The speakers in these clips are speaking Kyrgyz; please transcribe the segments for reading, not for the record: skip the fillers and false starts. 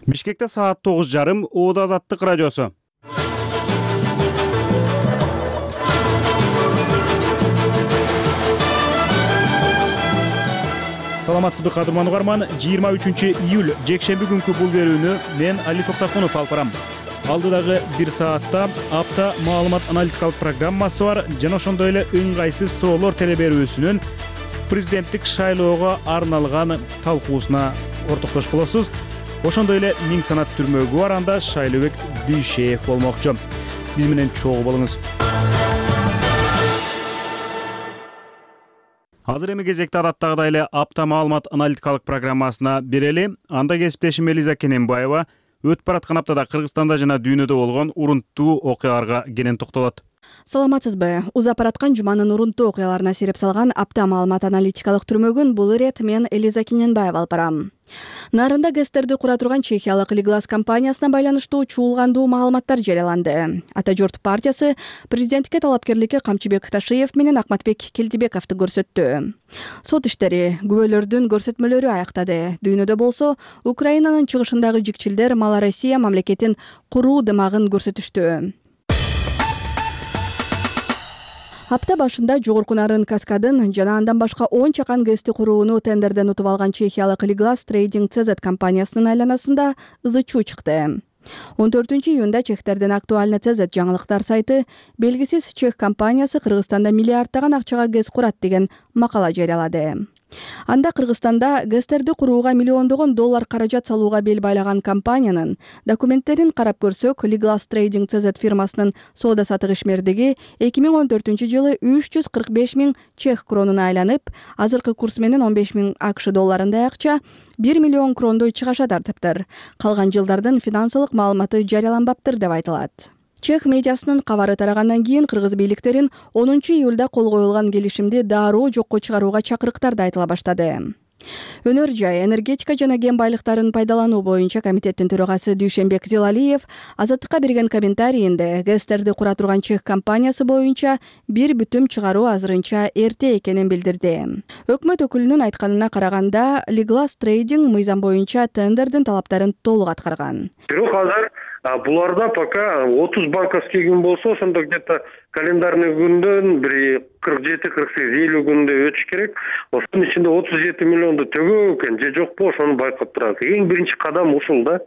Бишкекте саат 9:30 Оода Азаттык радиосу. Саламатсызбы кадырман угарман, 23-июль жекшемби күнкү бул берүүнү мен Али Токтакунов алып барам. Алдыдагы 1 саатта апта маалымат аналитикалык программасы бар жана ошондой эле ыңгайсыз суроолор телеберүүсүнүн президенттик шайлоого арналган талкуусуна ортоктош болосуз. Ошондой эле миң санат түрмөгү бар, анда Шайлообек Дүйшеев болмокчу. Биз менен чогуу болуңуз. Азыр эми кезекте адаттагыдай эле апта маалымат аналитикалык программасына берели. Анда кесиптешим Элиза Кененбаева өтүп бараткан аптада Кыргызстанда жана дүйнөдө болгон урунттуу окуяларга кенен токтолот. Саламатсызбы. Узап бараткан жуманын урунттуу окуяларына сереп салган апта маалымат аналитикалык түрмөгүн бул ирет мен Элиза Кененбаева алып барам. Нарында ГЭСтерди кура турган чехиялык Лиглас компаниясына байланыштуу чуулгандуу маалыматтар жарыяланды. Ата журт партиясы президенттикке талапкерликке Камчыбек Ташиев менен Акматбек Келдибековду көрсөттү. Сот иштери күбөлөрдүн көрсөтмөлөрү аяктады. Дүйнөдө болсо Украинанын чыгышындагы жикчилдер Малороссия мамлекетин куруу дымагын көрсөтүштү. Апта башында жогорку нарын Каскадын жана андан башка 10 чакан ГЭСти курууну тендерден утуп алган чехиялык Лиглас Трейдинг CZ компаниясынын айланасында ызы-чуу чыкты. 14-июнда чехтердин актуальный CZ жаңылыктар сайты белгисиз чех компаниясы Кыргызстанда миллиарддаган акчага ГЭС курат деген макала жарыялады. Анда Кыргызстанда ГЭСтерди курууга миллиондогон доллар каражат салууга бел байлаган компаниянын документтерин карап көрсөк, Лиглас Трейдинг CZ фирмасынын соода-саттык ишмердиги 2014-жылы 345 миң чех кронуна айланып, азыркы курс менен 15 миң АКШ долларындай акча 1 миллион крондой чыгаша тартыптыр. Калган жылдардын финансылык маалыматы жарыяланбаптыр деп айтылат. Чех медиасынын кабары тарагандан кийин кыргыз бийликтерин 10-июлда кол коюлган келишимди дароо жокко чыгарууга чакырыктар да айтыла баштады. Өнөр жай, энергетика жана кен байлыктарын пайдалануу боюнча комитеттин төрагасы Дүйшенбек Зилалиев Азаттыкка берген комментарийинде ГЭСтерди кура турган чех компаниясы боюнча бир бүтүм чыгаруу азырынча эрте экенин билдирди. Өкмөт өкүлүнүн айтканына караганда, Лиглас Трейдинг мыйзам боюнча тендердин талаптарын толук аткарган. Бирок азыр буларда пока 30 банковский күн болсо, ошондо где-то календарный күндөн бир 47-48-50 күндө өтүш керек. Ошонун ичинде 37 миллионду төгөө экен же жокпу, ошону байкап турат. Эң биринчи кадам ушул да.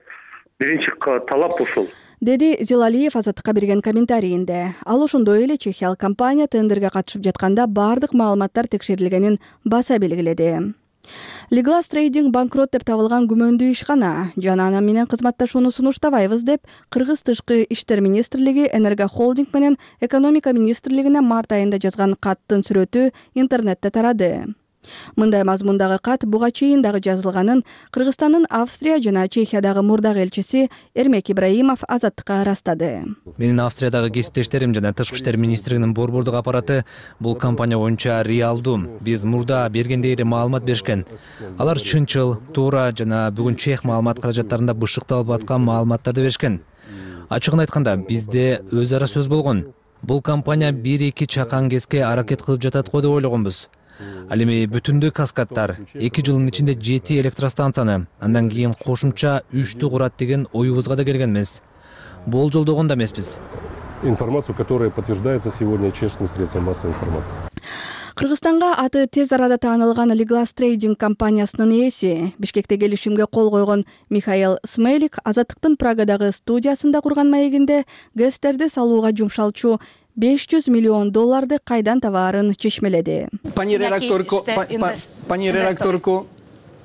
Биринчи талап ушул. Деди Зилалиев Азаттыкка берген комментарийинде. Ал ошондой эле чехиялык компания тендерге катышып жатканда бардык маалыматтар текшерилгенин баса белгиледи. Лиглас Трейдинг банкрот деп табылган күмөндүү ишкана жана ана менен кызматташууну сунуштабайбыз деп Кыргыз тышкы иштер министрлиги, Энергохолдинг менен экономика министрлигине март айында жазган каттын сүрөтү интернетте тарады. Мындай мазмундагы кат буга чейин дагы жазылганын Кыргызстандын Австрия жана Чехиядагы мурдагы элчиси Эрмек Ибраимов Азаттыкка ырастады. Менин Австриядагы кесиптештерим жана Тышкы иштер министрлигинин борбордук аппараты бул компания боюнча реалдуу. Биз мурда бергендей эле маалымат беришкен. Алар чынчыл, туура жана бүгүн чех маалымат каражаттарында бышыкталып аткан маалыматтарды беришкен. Ачыгын айтканда, бизде өз ара сөз болгон. Бул компания 1-2 чакан ГЭСке аракет кылып жатат го деп ойлогонбуз. Ал эми бүтүндүү Каскадтар 2 жылдын ичинде 7 электростанцияны, андан кийин кошумча 3-тү курат деген оюбузга да келгенбиз. Болжолдогон да эмеспиз. Информацию, которая подтверждается сегодня чешским средством массовой информации. Кыргызстанга аты тез арада таанылган Лиглас Трейдинг компаниясынын ээси, Бишкекте келишимге кол койгон Михаил Смелик Азаттыктын Прагадагы студиясында курган маегинде ГЭСтерди салууга жумшалчу 500 миллион долларды кайдан табаарын чечмеледи. Пани редакторку,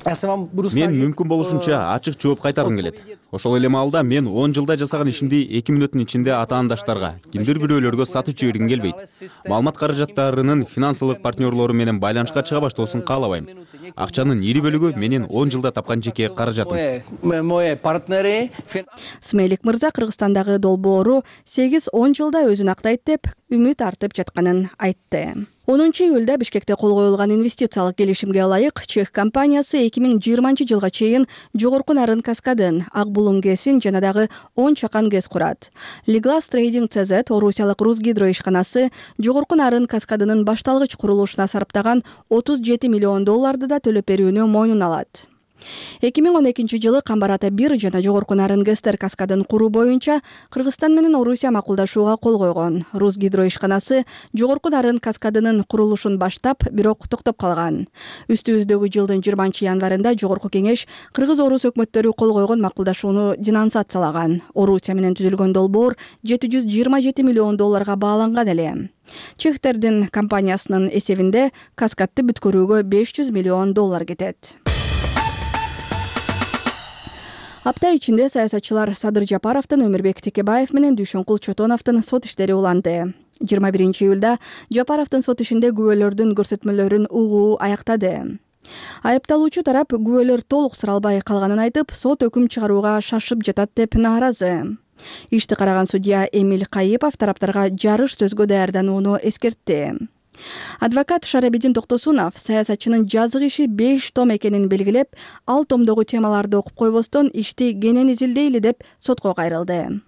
Мен мүмкүн болушунча ачык жооп кайтаргым келет. Ошол эле маалда мен 10 жылда жасаган ишимди 2 мүнөттүн ичинде атаандаштарга, кимдир бирөөлөргө сатып жибергим келбейт. Маалымат каражаттарынын финансылык партнерлору менен байланышка чыга баштоосун каалабайм. Акчанын ири бөлүгү менин 10 жылда тапкан жеке каражатым. Смелик мырза Кыргызстандагы долбоору 8-10 жылда өзүн актайт деп үмүт артып жатканын айтты. 10-июлда Бишкекте кол коюлган инвестициялык келишимге ылайык чех компаниясы 2020-жылга чейин жогорку нарын Каскадын, Ак булуң ГЭСин жана дагы 10 чакан ГЭС курат. Лиглас Трейдинг CZ Орусиялык Русгидро ишканасы жогорку нарын Каскадынын башталгыч курулушуна сарптаган 37 миллион долларды да төлөп берүүнү мойнуна алат. 2012-жылы Камбар ата 1 жана жогорку нарын ГЭСтер каскадын куруу боюнча Кыргызстан менен Орусия макулдашууга кол койгон. Русгидро ишканасы жогорку нарын каскадынын курулушун баштап, бирок токтоп калган. Үстүбүздөгү жылдын 20-январында жогорку кеңеш Кыргыз-Орус өкмөттөрү кол койгон макулдашууну денонсациялаган. Орусия менен түзүлгөн долбоор $727 миллион бааланган эле. Чехтердин компаниясынын эсебинде каскадды бүткөрүүгө $500 миллион кетет. Апта ичинде саясатчылар Садыр Жапаровдун, Өмүрбек Текебаев менен Дүйшөнкул Чотоновдун сот иштери уланды. 21-июлда Жапаровдун сот ишинде күбөлөрдүн көрсөтмөлөрүн угуу аяктады. Айыпталуучу тарап күбөлөр толук суралбай калганын айтып, сот өкүм чыгарууга шашып жатат деп нааразы. Ишти караган судья Эмиль Кайыпов тараптарга жарыш сөзгө даярданууну эскертти. Адвокат Шарабидин Токтосунов саясатчынын жазык иши 5 том экенин белгилеп, ал томдогу темаларды окуп койбостон ишти кенен изилдейли деп сотко кайрылды.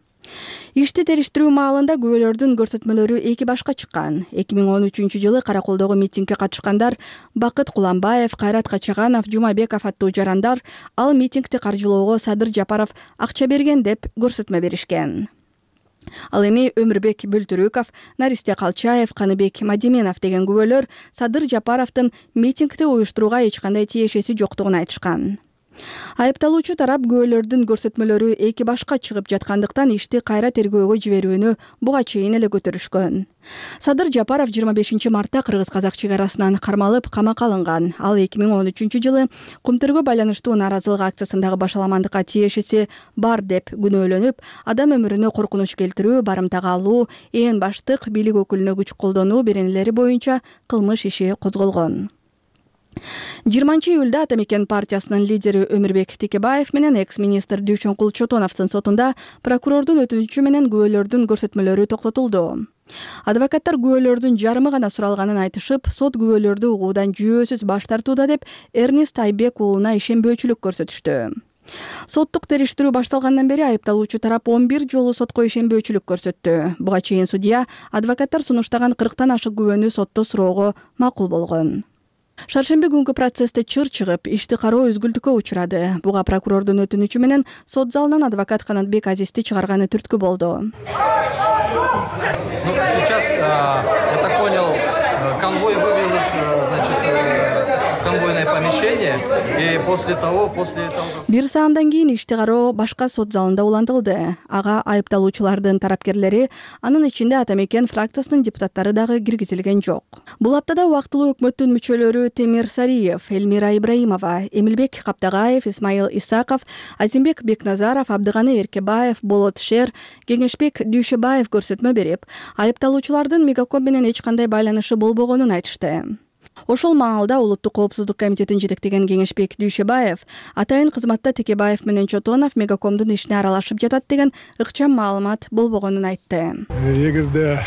Ишти териштирүү маалында күбөлөрдүн көрсөтмөлөрү эки башка чыккан. 2013-жылы Караколдогу митингге катышкандар Бакыт Куламбаев, Кайрат Качаганов, Жумабеков аттуу жарандар ал митингди каржылоого Садыр Жапаров акча берген деп көрсөтмө беришкен. Ал эми Өмүрбек Бөлтүрүков, Наристе Калчаев, Каныбек Мадименов деген күбөлөр Садыр Жапаровдун митингди уюштурууга эч кандай тиешеси жоктугун айтышкан. Айыпталуучу тарап күбөлөрдүн көрсөтмөлөрү эки башка чыгып жаткандыктан ишти кайра тергөөгө жиберүүнү буга чейин эле көтөрүшкөн. Садыр Жапаров 25-мартта кыргыз-казак чек арасынан кармалып камакка алынган. Ал 2013-жылы Кумтөргө байланыштуу нааразылык акциясындагы башаламандыкка тиешеси бар деп күнөөлөнүп, адам өмүрүнө коркунуч келтирүү, барымтага алуу, ээн баштык, бийлик өкүлүнө күч колдонуу беренелери боюнча кылмыш иши козголгон. 20-июлда Атамекен партиясынын лидери Өмүрбек Текебаев менен экс-министр Дүйшөнкул Чотоновдун сотунда прокурордун өтүнүчү менен күбөлөрдүн көрсөтмөлөрү токтотулду. Адвокаттар күбөлөрдүн жарымы гана суралганын айтышып, сот күбөлөрдү угуудан жүйөөсүз баш тартууда деп Эрнест Айбек уулуна ишенбөөчүлүк көрсөтүштү. Соттук териштирүү башталгандан бери айыпталуучу тарап 11 жолу сотко ишенбөөчүлүк көрсөттү. Буга чейин судья адвокаттар сунуштаган 40тан ашык күбөнү сотто суроого макул болгон. Шаршемби күнгү процессте чыр чыгып, ишти кароо үзгүлтүккө учурады. Буга прокурордун өтүнүчү менен сот залынан адвокат Канатбек Азизди чыгарганы түрткү болду. Сейчас, я так понял, конвой вывел их, конвойное помещение, и после того... Бир саамдан кийин ишти кароо башка сот залында улантылды. Ага айыпталуучулардын тарапкерлери, анын ичинде Атамекен фракциясынын депутаттары дагы киргизилген жок. Бул аптада убактылуу өкмөттүн мүчөлөрү Темир Сариев, Элмира Ибраимова, Эмилбек Каптагаев, Исмайыл Исаков, Азимбек Бекназаров, Абдыганы Эркебаев, Болот Шер, Кеңешбек Дүйшөбаев көрсөтмө берип, айыпталуучулардын Мегаком менен эч кандай байланышы болбогонун айтышты. Ошол маалда Улуттук коопсуздук комитетин жетектеген Кеңешбек Дүйшөбаев атайын кызматта Текебаев менен Чотонов Мегакомдун ишине аралашып жатат деген ыкчам маалымат болбогонун айтты. Эгерде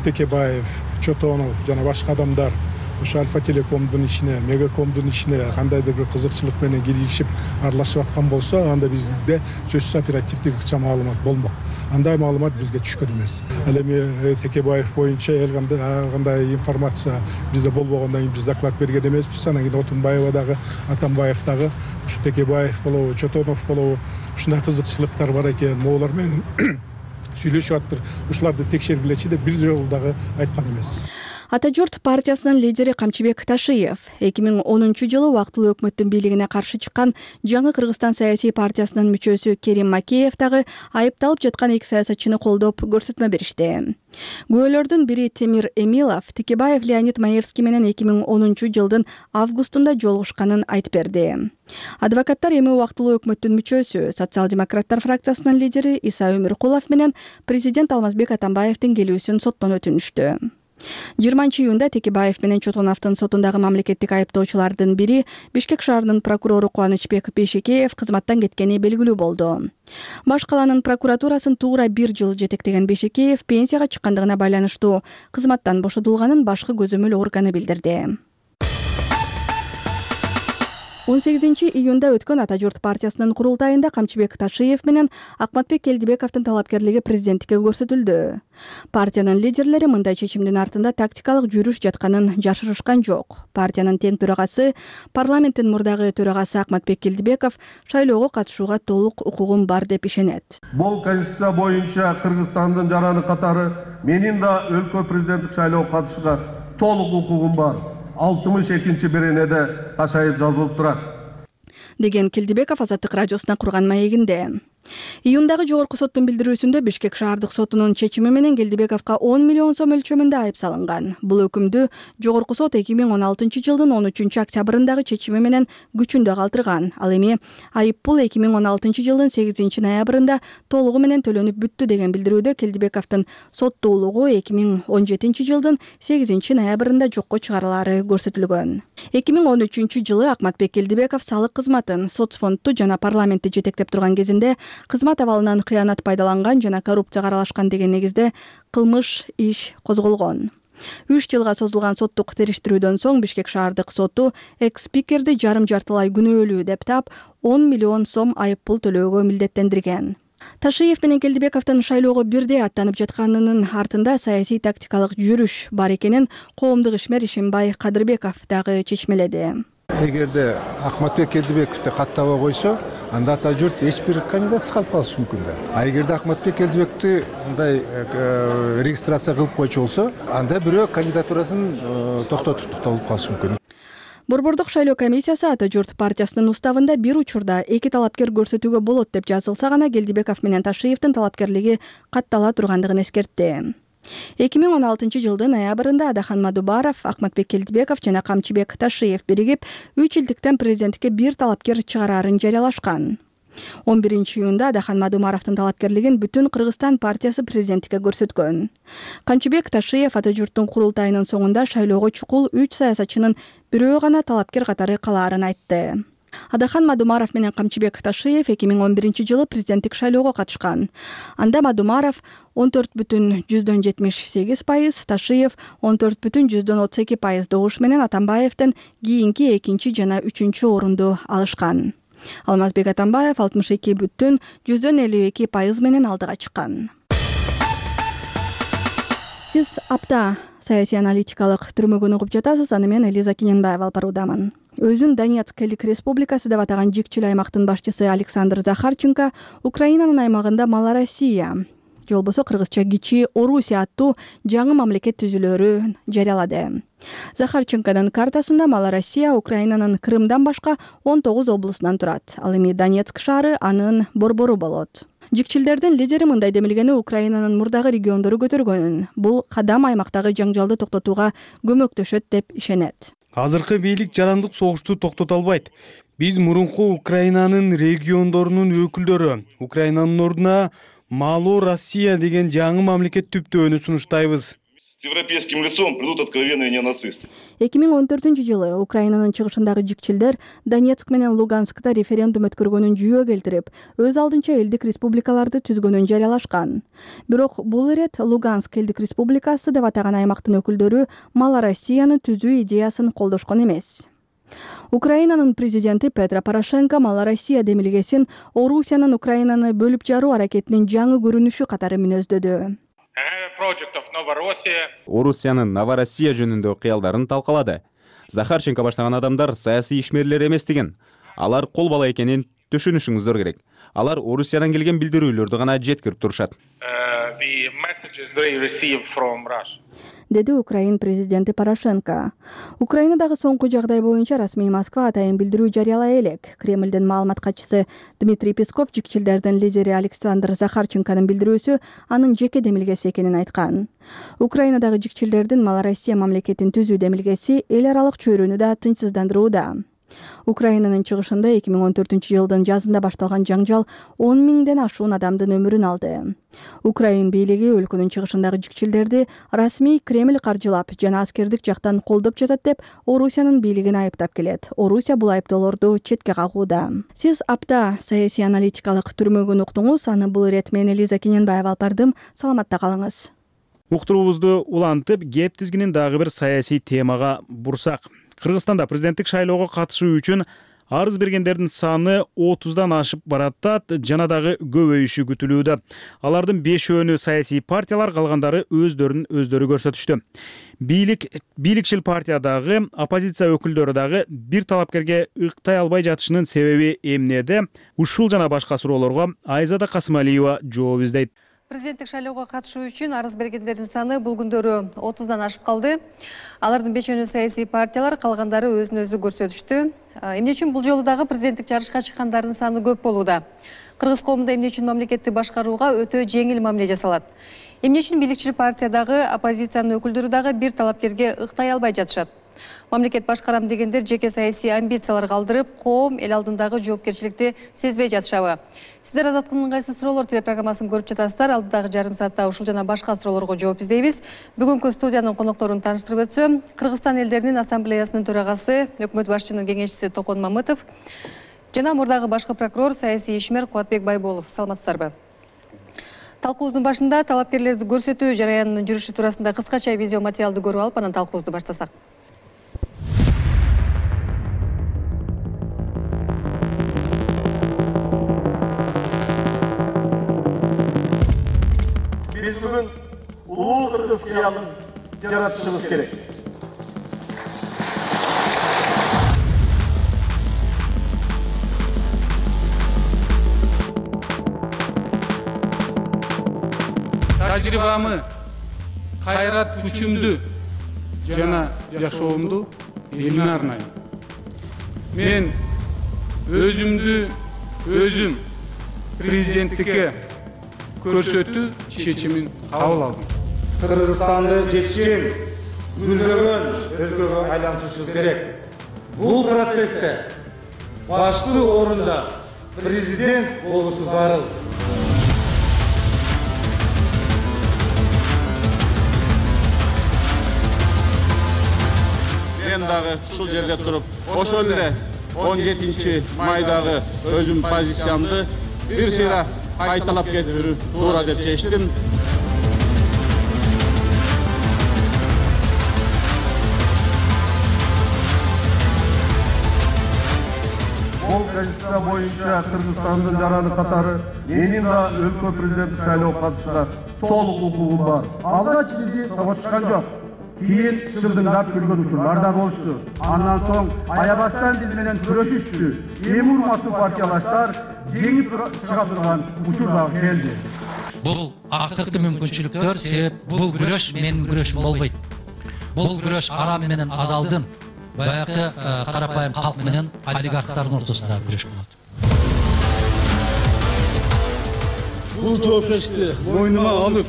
Текебаев, Чотонов жана башка адамдар ошо Альфа Телекомдун ишине, Мегакомдун ишине кандайдыр бир кызыкчылык менен киришип аралашып аткан болсо, анда бизде сөзсүз оперативдик ыкчам маалымат болмок. Андай маалымат бизге түшкөн эмес. Ал эми Текебаев боюнча ар кандай информация бизде болбогондон кийин биз доклад берген эмеспиз. Анан кийин Отунбаева дагы, Атамбаев дагы, ушу Текебаев болобу, Чотонов болобу, ушундай кызыкчылыктар бар экен, могулар менен сүйлөшүп аттыр. Ушуларды текшергилечи деп бир жолу дагы айткан эмес. Ата журт партиясынын лидери Камчыбек Ташиев 2010-жылы убактылуу өкмөттүн бийлигине каршы чыккан Жаңы Кыргызстан саясий партиясынын мүчөсү Керим Макеев дагы айыпталып жаткан эки саясатчыны колдоп көрсөтмө беришти. Күбөлөрдүн бири Темир Эмилов Текебаев Леонид Маевский менен 2010-жылдын августунда жолугушканын айтып берди. Адвокаттар эми убактылуу өкмөттүн мүчөсү Социал-демократтар фракциясынын лидери Иса Өмүркулов менен президент Алмазбек Атамбаевдин келүүсүн соттон өтүнүштү. 20-июнда Текебаев менен Чотоновдун сотундагы мамлекеттик айыптоочулардын бири Бишкек шаарынын прокурору Кубанычбек Бейшекеев кызматтан кеткени белгилүү болду. Баш каланын прокуратурасын туура 1 жыл жетектеген Бейшекеев пенсияга чыккандыгына байланыштуу кызматтан бошотулганын башкы көзөмөл органы билдирди. 18-июнда өткөн Ата журт партиясынын курултайында Камчыбек Ташиев менен Акматбек Келдибековдун талапкерлиги президенттикке көрсөтүлдү. Партиянын лидерлери мындай чечимдин артында тактикалык жүрүш жатканын жашырышкан жок. Партиянын тең төрагасы, парламенттин мурдагы төрагасы Акматбек Келдибеков шайлоого катышууга толук укугум бар деп ишенет. Бул конституция боюнча Кыргызстандын жараны катары менин да өлкө президенттик шайлоого катышууга толук укугум бар. 62-беренеде кашайып жазылып турат, деген Келдибеков Азаттык радиосуна курган маегинде. Июндагы жогорку соттун билдирүүсүндө Бишкек шаардык сотунун чечими менен Келдибековго 10 миллион сом өлчөмүндө айып салынган. Бул өкүмдү жогорку сот 2016-жылдын 13-октябрындагы чечими менен күчүндө калтырган. Ал эми айып пул 2016-жылдын 8-ноябрында толугу менен төлөнүп бүттү деген билдирүүдө Келдибековдун соттуулугу 2017-жылдын 8-ноябрында жокко чыгарылары көрсөтүлгөн. 2013-жылы Акматбек Келдибеков салык кызматын, соцфондду жана парламентти жетектеп турган кезинде кызмат абалынан кыянат пайдаланган жана коррупцияга аралашкан деген негизде кылмыш иш козголгон. 3 жылга созулган соттук териштирүүдөн соң Бишкек шаардык соту экс-спикерди жарым-жартылай күнөөлүү деп таап 10 миллион сом айып пул төлөөгө милдеттендирген. Ташиев менен Келдибековдун шайлоого бирдей аттанып жатканынын артында саясий тактикалык жүрүш бар экенин коомдук ишмер Ишимбай Кадырбеков дагы чечмеледи. Эгерде Акматбек Келдибековду каттабай койсо, анда Ата журт эч бир кандидатсыз калып калышы мүмкүн да. А эгерде Акматбек Келдибековду мындай регистрация кылып койчу болсо, анда бирөө кандидатурасын токтотуп калышы мүмкүн. Борбордук шайлоо комиссиясы Ата журт партиясынын уставында бир учурда эки талапкер көрсөтүүгө болот деп жазылса гана Келдибеков менен Ташиевдин талапкерлиги каттала тургандыгын эскертти. 2016-жылдын ноябрында Адахан Мадубаров, Акматбек Келдибеков жана Камчыбек Ташиев биригип 3 жылдыктан президенттикке бир талапкер чыгарарын жарыялашкан. 11-июнда Адахан Мадумаровдун талапкерлигин Бүтүн Кыргызстан партиясы президенттикке көрсөткөн. Камчыбек Ташиев Ата журттун курултайынын соңунда шайлоого чукул 3 саясатчынын бирөө гана талапкер катары калаарын айтты. Адахан Мадумаров менен Камчыбек Ташиев 2011-жылы президенттик шайлоого катышкан. Анда Мадумаров 14,78%, Ташиев 14,32% добуш менен Атамбаевден кийинки 2 жана 3 орунду алышкан. Алмазбек Атамбаев 62,52% менен алдыга чыккан. Сиз апта саясий аналитикалык түрмөгүн угуп жатасыз. Аны мен Элиза Кененбаева алып баруудамын. Өзүн Донецк элдик республикасы деп атаган жикчил аймактын башчысы Александр Захарченко Украинанын аймагында Малороссия, же болбосо кыргызча Кичи Орусия аттуу жаңы мамлекет түзүлөөрүн жарыялады. Захарченконун картасында Малороссия Украинанын Крымдан башка 19 облусунан турат. Ал эми Донецк шаары анын борбору болот. Жикчилдердин лидери мындай демилгени Украинанын мурдагы региондору көтөргөнүн. Бул кадам аймактагы жаңжалды токтотууга көмөктөшөт деп ишенет. Азыркы бийлик жарандык согушту токтото албайт. Биз мурунку Украинанын региондорунун өкүлдөрү Украинанын ордуна Малороссия деген жаңы мамлекет түптөөнү сунуштайбыз. С европейским лицом придут откровенные неонацисты. 2014-жылы Украинанын чыгышындагы жикчилдер Донецк менен Луганскта референдум өткөргөнүн жүйө келтирип, өз алдынча элдик республикаларды түзгөнүн жарыялашкан. Бирок бул ирет Луганск элдик республикасы деп атаган аймактын өкүлдөрү Малороссияны түзүү идеясын колдошкон эмес. Украинанын президенти Петро Порошенко Малороссия демилгесин Орусиянын Украинаны бөлүп жаруу аракетинин жаңы көрүнүшү катары мүнөздөдү. Орусиянын Новороссия жөнүндө кыялдарын талкалады. Захарченко баштаган адамдар саясий ишмерлер эмес деген. Алар кол бала экенин түшүнүшүңүздөр керек. Алар Орусиядан келген билдирүүлөрдү гана жеткирип турушат. Деди Украин президенти Порошенко. Украинадагы соңку жагдай боюнча расмий Москва атайын билдирүү жарыялай элек. Кремлдин маалымат катчысы Дмитрий Песков жикчилдердин лидери Александр Захарченконун билдирүүсү анын жеке демилгеси экенин айткан. Украинадагы жикчилдердин Малороссия мамлекетин түзүү демилгеси эл аралык чөйрөнү да тынчсыздандырууда. Украинанын чыгышында 2014-жылдын жазында башталган жаңжал 10 миңден ашуун адамдын өмүрүн алды. Украин бийлиги өлкөнүн чыгышындагы жикчилдерди расмий Кремль каржылап жана аскердик жактан колдоп жатат деп Орусиянын бийлигин айыптап келет. Орусия бул айыптоолорду четке кагууда. Сиз апта саясий аналитикалык түрмөгүн уктуңуз. Аны бул ирет мен Элиза Кененбаева алып бардым. Саламатта калыңыз. Уктуруубузду улантып, кеп тизгинин дагы бир саясий темага бурсак. Кыргызстанда президенттик шайлоого катышуу үчүн Арыз бергендердин саны 30дан ашып баратат жана дагы көбөйүшү күтүлүүдө. Алардын 5-өөнү саясий партиялар, калгандары өздөрүн өздөрү көрсөтүштү. Бийликчил партиядагы оппозиция өкүлдөрү дагы бир талапкерге ыктай албай жатышынын себеби эмнеде? Ушул жана башка суроолорго Айзада Касымалиева жооп издейт. Президенттик шайлоого катышуу үчүн арыз бергендердин саны бул күндөрү 30дан ашып калды. Алардын 5-өөнү саясий партиялар, калгандары өзүн өзү көрсөтүштү. Эмне үчүн бул жолу дагы президенттик жарышка чыккандардын саны көп болууда? Кыргыз коомунда эмне үчүн мамлекетти башкарууга өтө жеңил мамиле жасалат? Эмне үчүн бийликчил партиядагы оппозициянын өкүлдөрү дагы бир талапкерге ыктай албай жатышат? Мамлекет башкарам дегендер жеке саясий амбициялар калтырып, коом эл алдындагы жоопкерчиликти сезбей жатышабы? Сиздер Азаттыктын кайсы суроолор телепрограммасын көрүп жатасыздар. Алдыдагы жарым саатта ушул жана башка суроолорго жооп издейбиз. Бүгүнкү студиянын конокторун тааныштырып өтсөм, Кыргызстан элдеринин ассамблеясынын төрагасы, өкмөт башчынын кеңешчиси Токон Мамытов жана мурдагы башкы прокурор, саясий ишмер Кубатбек Байболов. Саламатсыздарбы? Талкуубуздун башында талапкерлерди көрсөтүү жараянынын жүрүшү туурасында кыскача видео материалды көрүп алып, анан талкуубузду баштасак. Биз бүгүн улуу кыргыз кыялын жаратышыбыз керек. Тажрыйбамы, кайрат күчүмдү жана жашоомду элиме арнайм. Мен өзүм президенттикке көрсөтүү чечимин кабыл алдым. Кыргызстанды жетишкен, гүлдөгөн өлкөгө айлантышыбыз керек. Бул процессте башкы орунда президент болушу зарыл. Мен дагы ушул жерде туруп, ошол эле 17 майдагы өзүм позициямды бир сыйра кайталап кетүүнү туура деп чечтим. Бул конституция боюнча Кыргызстандын жараны катары менин да өлкө президенттик шайлоого катышууга толук укугум бар. Алгач бизди тоготушкан жок. Кийин шылдыңдап күлгөн учурлар да болушту. Андан соң аябастан биз менен күрөшүштү. Эми урматтуу партиялаштар жеңип чыга турган учур дагы келди. Бул актыркы мүмкүнчүлүктөр, себеп бул күрөш менин күрөшүм болбойт. Бул күрөш арам менен адалдын, баягы карапайым калк менен олигархтардын ортосундагы күрөш болот. Бул жоопкерчиликти мойнума алып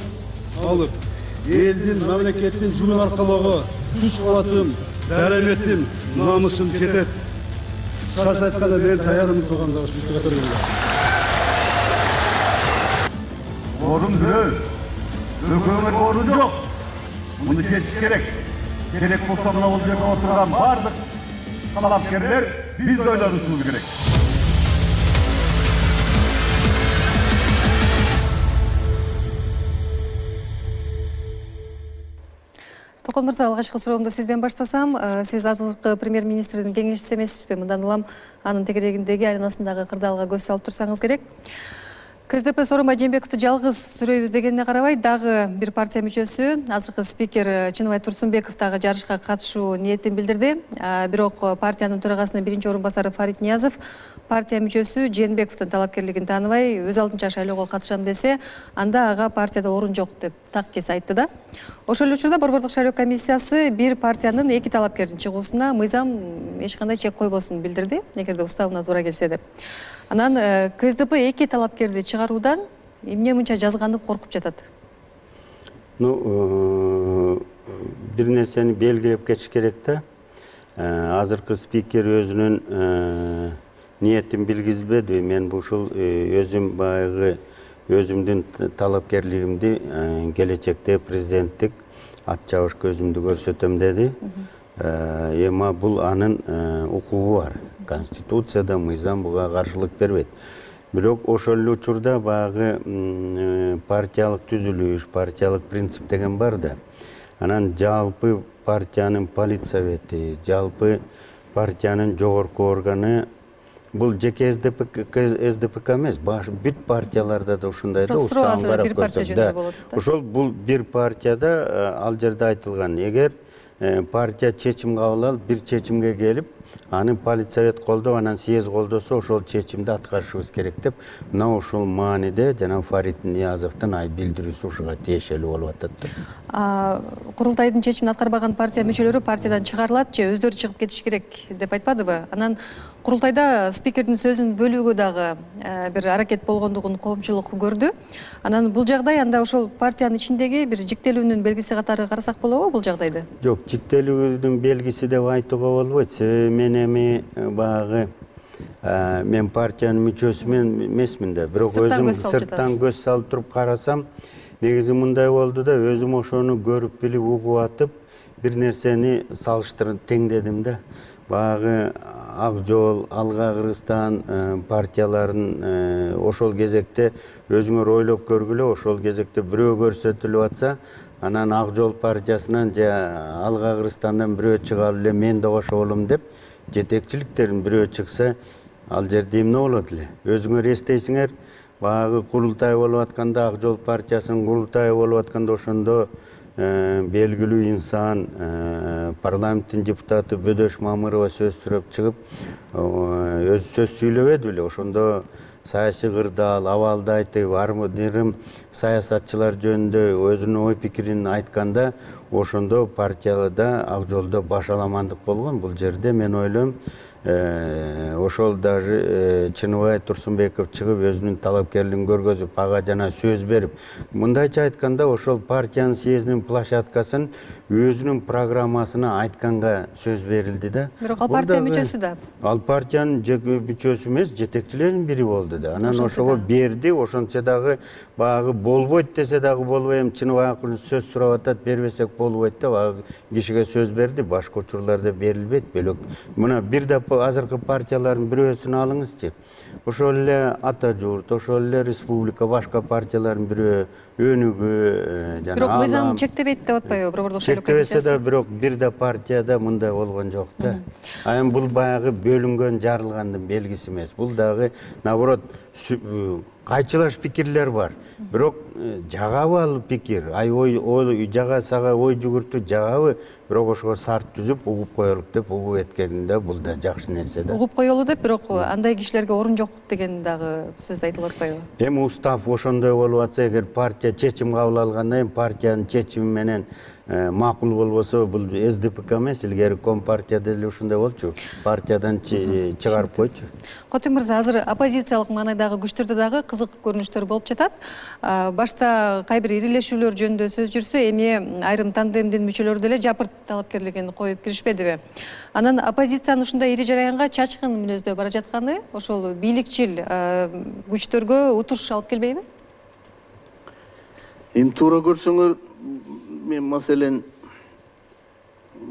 элдин, мамлекеттин жумуш аркалоого күч кубатым, дараметим, намысым жетет. Кыскасы айтканда мен даярмын туугандагы ушул. Орун бирөө, өлкөгө орун жок. Муну чечиш керек. Керек болсо мына бул жерде отурган бардык талапкерлер биз ойлонушубуз керек. Токон мырза, алгачкы суроомду сизден баштасам. Сиз азыркы премьер-министрдин кеңешчиси эмессизби? Мындан улам анын тегерегиндеги айланасындагы кырдаалга көз салып турсаңыз керек. КСДП Сооронбай Жээнбековду жалгыз сүрөйбүз дегенине карабай, дагы бир партия мүчөсү, азыркы спикер Чыныбай Турсунбеков дагы жарышка катышуу ниетин билдирди. Бирок партиянын төрагасынын биринчи орун басары Фарид Ниязов партия мүчөсү Жээнбековдун талапкерлигин тааныбай, өз алдынча шайлоого катышам десе, анда ага партияда орун жок деп так кес айтты да. Ошол эле учурда Борбордук шайлоо комиссиясы бир партиянын эки талапкердин чыгуусуна мыйзам эч кандай чек койбосун билдирди, эгерде уставына туура келсе деп. Анан КСДП эки талапкерди чыгаруудан эмне мынча жазганып коркуп жатат? Бир нерсени белгилеп кетиш керек да. Азыркы спикер өзүнүн ниетин билгизбеди. Мен ушул өзүм баягы өзүмдүн талапкерлигимди келечекте президенттик ат чабышка өзүмдү көрсөтөм деди. Эми бул анын укугу бар. Конституцияда мыйзам буга каршылык бербейт. Бирок ошол эле учурда баягы партиялык түзүлүш, партиялык принцип деген бар да. Анан партиянын политсовети, жалпы партиянын жогорку органы бул жеке СДПК эмес, бүт партияларда да ушундай да устан карап көрсөк. Ошол бул бир партияда ал жерде айтылган. Эгер партия чечим кабыл алып, бир чечимге келип, аны политсовет колдоп, анан съезд колдосо ошол чечимди аткарышыбыз керек деп, мына ушул мааниде жана Фарид Ниязовдун билдирүүсү ушуга тиешелүү болуп атат. Курултайдын чечимин аткарбаган партия мүчөлөрү партиядан чыгарылат же өздөрү чыгып кетиш керек деп айтпадыбы? Анан курултайда спикердин сөзүн бөлүүгө дагы бир аракет болгондугун коомчулук көрдү. Анан бул жагдай анда ошол партиянын ичиндеги бир жиктелүүнүн белгиси катары карасак болобу бул жагдайды? Жок, жиктелүүнүн белгиси деп айтууга болбойт. Себеби мен эми баягы мен партиянын мүчөсү эмесмин да. Бирок өзүм сырттан көз салып туруп карасам, негизи мындай болду да, өзүм ошону көрүп билип угуп атып, бир нерсени салыштырып теңдедим да. Баягы Ак Жол, Алга Кыргызстан партияларын ошол кезекте өзүңөр ойлоп көргүлө, ошол кезекте бирөө көрсөтүлүп атса, анан Ак Жол партиясынан же Алга Кыргызстандан бирөө чыгып эле мен да кошолум деп, жетекчиликтерин бирөө чыкса, ал жерде эмне болот эле? Өзүңөр эстейсиңер, баягы курултай болуп атканда, Ак Жол партиясынын курултайы болуп атканда, ошондо белгилүү инсан, парламенттин депутаты Бөдөш Мамырова сөз сүрөп чыгып, өзү сөз сүйлөбөдү беле. Ошондо саясий кырдаал, абалды айтып, армыдырым саясатчылар жөнүндө өзүнүн ой пикирин айтканда, ошондо партияда Ак Жолдо башаламандык болгон. Бул жерде мен ойлойм, ошол даже Чыныбай Турсунбеков чыгып өзүнүн талапкерлигин көргөзүп, ага жана сөз берип, мындайча айтканда ошол партиянын съездинин площадкасын өзүнүн программасына айтканга сөз берилди да. Бирок ал партия мүчөсү да. Ал партиянын мүчөсү эмес, жетекчилеринин бири болду да. Анан ошого берди, ошончо дагы баягы болбойт десе дагы болбой, эми Чыныбай акырын сөз сурап атат, бербесек болбойт деп, баягы кишиге сөз берди. Башка учурларда берилбейт, бөлөк. Мына бир да азыркы партиялардын бирөөсүн алыңызчы. Ошол эле Ата Журт, ошол эле Республика, башка партиялардын бирөө Өнүгүү жана Бирок мыйзам чектебейт деп атпайбы? Борбордук шайлоо комиссиясы. Чектебесе да, бирок бир да партияда мындай болгон жок да. Эми бул баягы бөлүнгөн, жарылгандын белгиси эмес. Бул дагы наоборот кайчылаш пикирлер бар. Бирок жагабы ал пикир? Ой жага сага ой жүгүртүү жагабы? Бирок ошого сарт түзүп угуп коелук деп угуп эткенинде бул да жакшы нерсе да. Угуп коелу деп, бирок андай кишилерге орун жок деген дагы сөз айтылып атпайбы? Эми устав ошондой болуп атса, эгер партия чечим кабыл алгандан кийин партиянын чечими менен макул болбосо, бул СДПК эмес, илгери Компартияда деле ушундай болчу. Партиядан чыгарып койчу. Котуң мырза, азыр оппозициялык маанайдагы күчтөрдө дагы кызык көрүнүштөр болуп жатат. Башта кайбир ирилешүүлөр жөнүндө сөз жүрсө, эми айрым тандемдин мүчөлөрү деле жапырт талапкерлигин коюп киришпедиби? Анан оппозициянын ушундай ири жараянга чачкын мүнөздө бара жатканы ошол бийликчил күчтөргө утуш алып келбейби? Эми туура көрсөңөр, мен маселен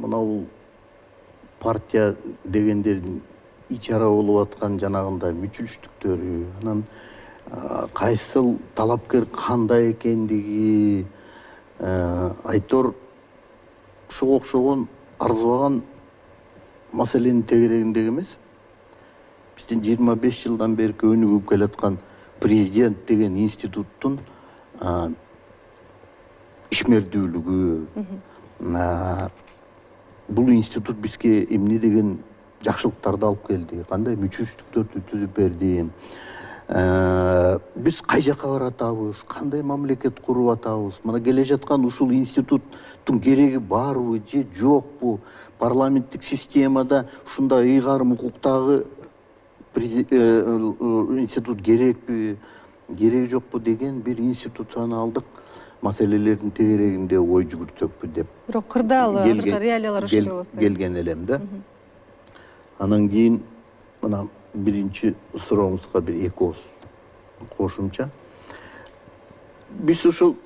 мынау партия дегендердин ичара болуп аткан жанагындай мүчүлүштүктөрү, анан кайсыл талапкер кандай экендиги айтор ошого окшогон арзыбаган маселенин тегерегиндеги эмес. Биздин 25 жылдан бери өнүгүп келаткан президент деген институттун ишмердүүлүгү, бул институт бизге эмне деген жакшылыктарды алып келди, кандай мүчүлүштүктөрдү түзүп берди, биз кай жака баратабыз, кандай мамлекет куруп атабыз, мына келе жаткан ушул институттун кереги барбы же жокпу, парламенттик системада ушундай ыйгарым укуктагы институт керекпи, кереги жокпу деген бир институционалдык маселелердин тегерегинде ой жүгүртсөкпү деп. Бирок кырдаал азыркы реалиялар ошондой болуп келген элем да. Анан кийин мына биринчи сурооңузга бир эки ооз кошумча. Биз ушул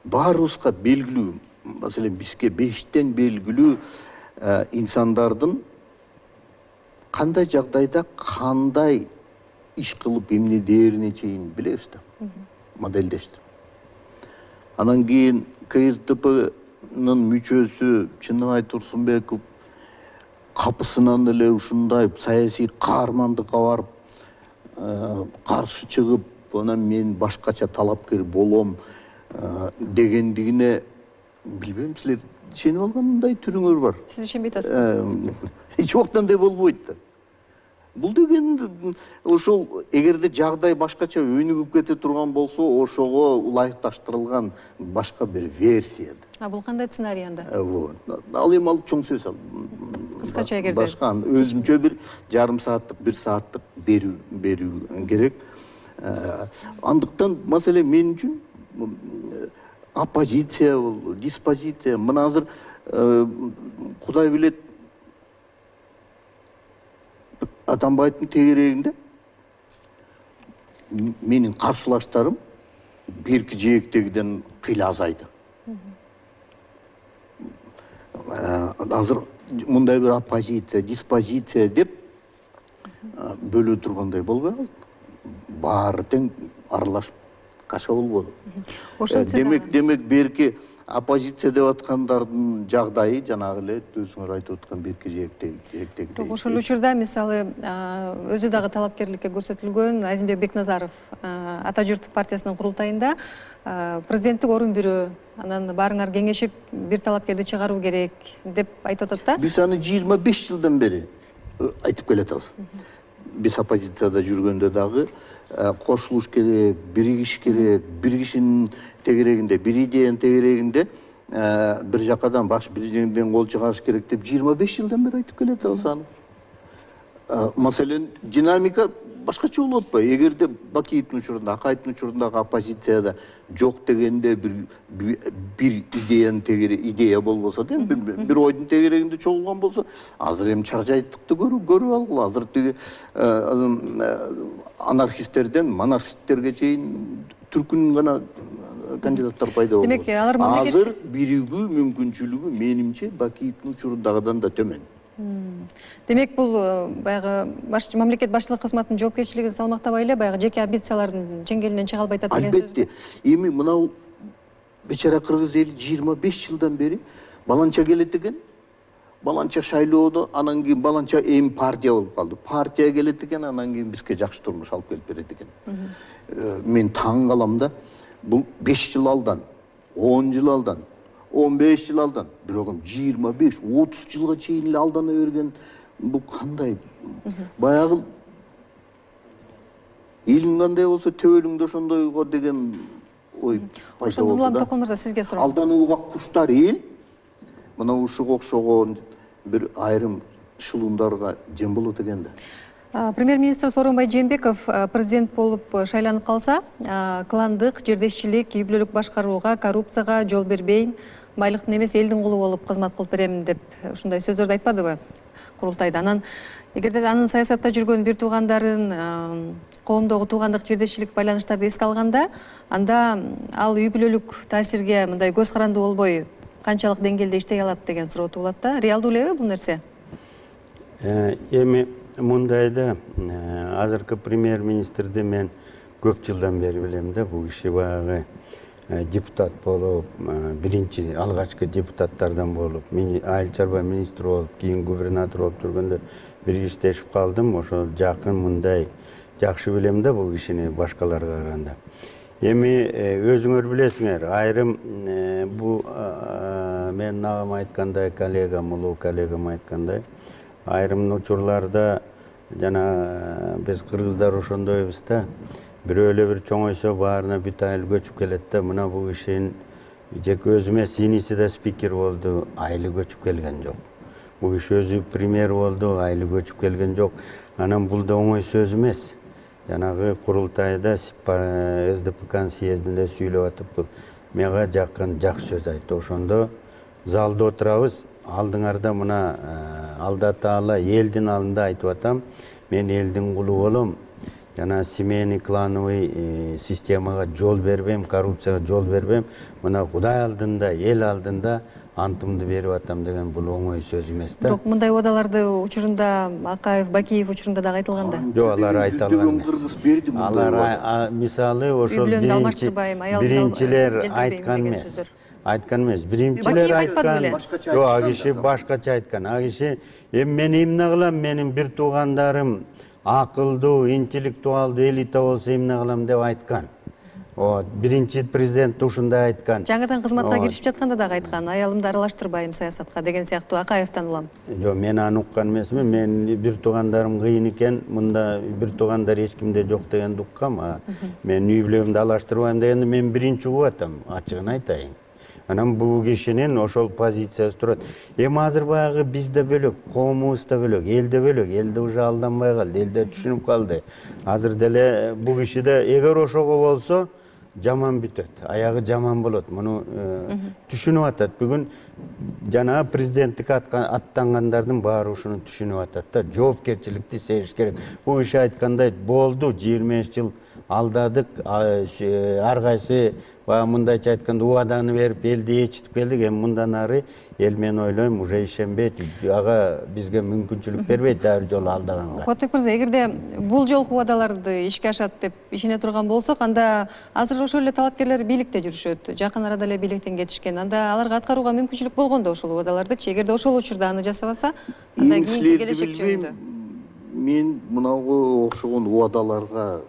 баарыбызга белгилүү, маселен бизге бештен белгилүү инсандардын кандай жагдайда кандай иш кылып эмне дээрине чейин билебиз да, моделдештирип. Анан кийин КСДПнын мүчөсү Чыныбай Турсунбеков капысынан эле ушундай саясий каармандыкка барып каршы чыгып анан мен башкача талапкер болом дегендигине билбейм, силер ишенип алгандай түрүңөр бар. Сиз ишенбей атасызбы? Эч убакта андай болбойт да. Бул деген ошол эгерде жагдай башкача өнүгүп кете турган болсо, ошого ылайыкташтырылган башка бир версия. Бул кандай сценарий анда? Вот. Ал эми ал чоң сөз. Кыскача эгерде башка өзүнчө бир жарым сааттык, 1 сааттык берүү керек. Андыктан маселе мен үчүн оппозиция болду, диспозиция. Мына азыр Кудай билет, Атамбаевдин тегерегинде менин каршылаштарым берки жээктегиден кыйла азайды. Азыр мындай бир оппозиция, диспозиция деп бөлө тургандай болбой калды. Баары тең аралашып каша болбоду. Демек берки оппозиция деп аткандардын жагдайы жанагы эле өзүңөр айтып аткан берки жээктеги. Ошол учурда мисалы өзү дагы талапкерликке көрсөтүлгөн Азимбек Бекназаров Ата журттук партиясынын курултайында президенттик орун берүү, анан баарыңар кеңешип бир талапкерди чыгаруу керек деп айтып атат да. Биз аны 25 жылдан бери айтып келатабыз. Биз оппозицияда жүргөндө дагы кошулуш керек, биригиш керек, бир кишинин тегерегинде, бир идеянын тегерегинде бир жакадан баш бир жерден кол чыгарыш керек деп 25 жылдан бери айтып келатабыз аны. Маселен, динамика башкача болуп атпайбы? Эгерде Бакиевдин учурунда, Акаевдин учурундагы оппозицияда жок дегенде бир идеянын тегереги, идея болбосо да, бир ойдун тегерегинде чогулган болсо, азыр эми чаржайттыкты көрүп алгыла. Азыр тиги анархисттерден монархисттерге чейин түркүн гана кандидаттар пайда болду. Демек, алар мамлекет азыр биригүү мүмкүнчүлүгү менимче Бакиевдин учурундагыдан да төмөн. Демек, бул баягы мамлекет башчылык кызматынын жоопкерчилигин салмактабай эле баягы жеке амбициялардын чеңгелинен чыга албай атат деген сөзбү? Албетте. Эми мынау бечара кыргыз эли 25 жылдан бери баланча келет экен. Баланча шайлоодо, анан кийин баланча эми партия болуп калды. Партия келет экен, анан кийин бизге жакшы турмуш алып келип берет экен. Мен таң калам да. Бул 5 жыл алдан, 10 жыл алдан, 15 жыл алдан, бирок 25-30 жылга чейин эле алдана берген бул кандай? Баягы элиң кандай болсо төбөлүң да ошондойго деген ой пайда болду. Ошондо Токон мырза сизге суроо. Алданууга куштар эл мына ушуга окшогон бир айрым шылуундарга жем болот экен да. Премьер-министр Сооронбай Жээнбеков президент болуп шайланып калса, кландык, жердешчилик, үй бүлөлүк башкарууга, коррупцияга жол бербейм, байлыктын эмес элдин кулу болуп кызмат кылып берем деп ушундай сөздөрдү айтпадыбы курултайда? Анан эгерде анын саясатта жүргөн бир туугандарын коомдогу туугандык, жердешчилик байланыштарды эске алганда, анда ал үй бүлөлүк таасирге мындай көз карандуу болбой канчалык деңгээлде иштей алат деген суроо туулат да. Реалдуу элеби бул нерсе? Эми мындайда азыркы премьер-министрди мен көп жылдан бери билем да. Бул киши баягы депутат болуп, биринчи алгачкы депутаттардан болуп, айыл чарба министри болуп, кийин губернатор болуп жүргөндө бир иштешип калдым. Ошо жакын мындай жакшы билем да бул кишини башкаларга караганда. Эми өзүңөр билесиңер, айрым бул мен агам айткандай, коллегам, улуу коллегам айткандай, айрым учурларда жана биз кыргыздар ошондойбуз да. Бирөө эле бир чоңойсо баарына бүт айыл көчүп келет да. Мына бул кишинин жеке өзүмө синиси да спикер болду, айылы көчүп келген жок. Бул киши өзү премьер болду, айылы көчүп келген жок. Анан бул да оңой сөз эмес. Жанагы курултайда СДПКнын съездинде сүйлөп атыптыр. Мага жакын жакшы сөз айтты. Ошондо залда отурабыз. Алдыңарда мына Алда Таала элдин алдында айтып атам. Мен элдин кулу болом. Жана семейный клановый системага жол бербейм, коррупцияга жол бербейм. Мына Кудай алдында, эл алдында антымды берип атам деген бул оңой сөз эмес да. Бирок мындай убадаларды учурунда Акаев, Бакиев учурунда дагы айтылган да. Жок, алар айта алган эмес. Алар мисалы ошол биринчилер айткан эмес. Айткан эмес. Биринчилер айткан. Жок, ал киши башкача айткан. Ал киши эми мен эмне кылам? Менин бир туугандарым акылдуу, интеллектуалдуу элита болсо эмне кылам деп айткан. Биринчи президент ушундай айткан. Жаңыдан кызматка киришип жатканда дагы айткан, аялымды аралаштырбайм саясатка деген сыяктуу Акаевден улам. Жок, мен аны уккан эмесмин. Мен бир туугандарым кыйын экен, мында бир туугандар эч кимде жок дегенди уккам. Мен үй бүлөмдү алаштырбайм дегенди мен биринчи угуп атам, ачыгын айтайын. Анан бул кишинин ошол позициясы турат. Эми азыр баягы бизде бөлөк, коомубуз да бөлөк, элде бөлөк. Элде уже алданбай калды, элде түшүнүп калды. Азыр деле бул кишиде эгер ошого болсо жаман бүтөт, аягы жаман болот. Муну түшүнүп атат. Бүгүн жана президенттикке аттангандардын баары ушуну түшүнүп атат да. Жоопкерчиликти сезиш керек. Бул киши айткандай болду, 25 жыл алдадык, ар кайсы мындайча айтканда убаданы берип элди ээрчитип келдик. Эми мындан ары эл мен ойлойм уже ишенбейт. Ага бизге мүмкүнчүлүк бербейт дагы бир жолу алдаганга. Кубатбек мырза, эгерде бул жолку убадаларды ишке ашат деп ишене турган болсок, анда азыр ошол эле талапкерлер бийликте жүрүшөт. Жакын арада эле бийликтен кетишкен. Анда аларга аткарууга мүмкүнчүлүк болгондо ошол убадалардычы, эгерде ошол учурда аны жасабаса, анда кийинки келечек жөнүндө. Мен мынага окшогон убадаларга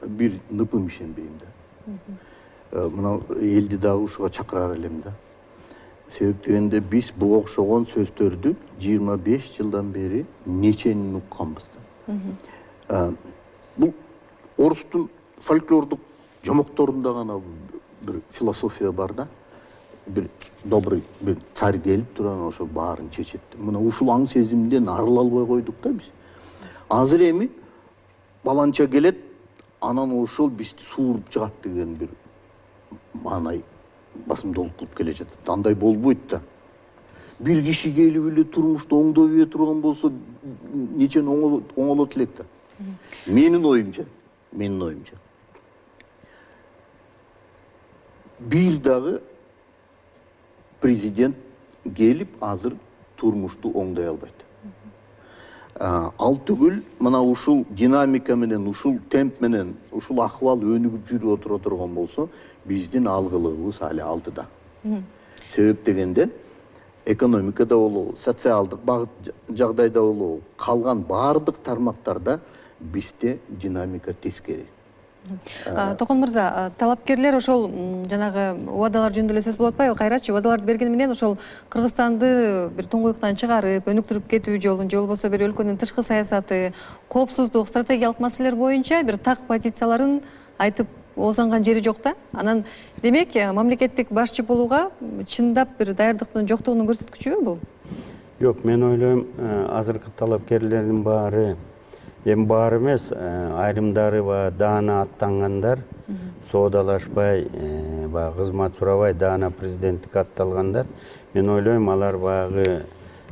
бир ныпым ишенбейм да. Мына элди дагы ушуга чакырар элем да. Себеп дегенде биз буга окшогон сөздөрдү 25 жылдан бери неченин укканбыз да. Бул орустун фольклордук жомокторунда гана бир философия бар да. Бир добрый бир царь келип туран ошо баарын чечет. Мына ушул аң сезимден арыла албай койдук да биз. Азыр эми баланча келет, анан ошол бизди сууруп чыгат деген бир маанай басымдуулук кылып келе жатат. Андай болбойт да. Бир киши келип эле турмушта оңдой бере турган болсо нечен оңолот элек да. Менин оюмча. Бир дагы президент келип азыр турмушту оңдой албайт. Ал түгүл мына ушул динамика менен, ушул темп менен, ушул акыбал өнүгүп жүрүп отура турган болсо, биздин алгылыгыбыз али алдыда. Себеп дегенде экономикада болобу, социалдык багыт жагдайда болобу, калган баардык тармактарда бизде динамика тескери. Токон мырза, талапкерлер ошол жанагы убадалар жөнүндө эле сөз болуп атпайбы? Кайрачы убадаларды бергени менен ошол Кыргызстанды бир туңгуюктан чыгарып, өнүктүрүп кетүү жолун, же болбосо бир өлкөнүн тышкы саясаты, коопсуздук, стратегиялык маселелер боюнча бир так позицияларын айтып оозанган жери жок да. Анан демек мамлекеттик башчы болууга чындап бир даярдыктын жоктугунун көрсөткүчүбү бул? Жок, мен ойлойм, азыркы талапкерлердин баары, эми баары эмес, айрымдары даана аттангандар, соодалашпай, кызмат сурабай даана президенттикке атталгандар. Мен ойлойм, алар баягы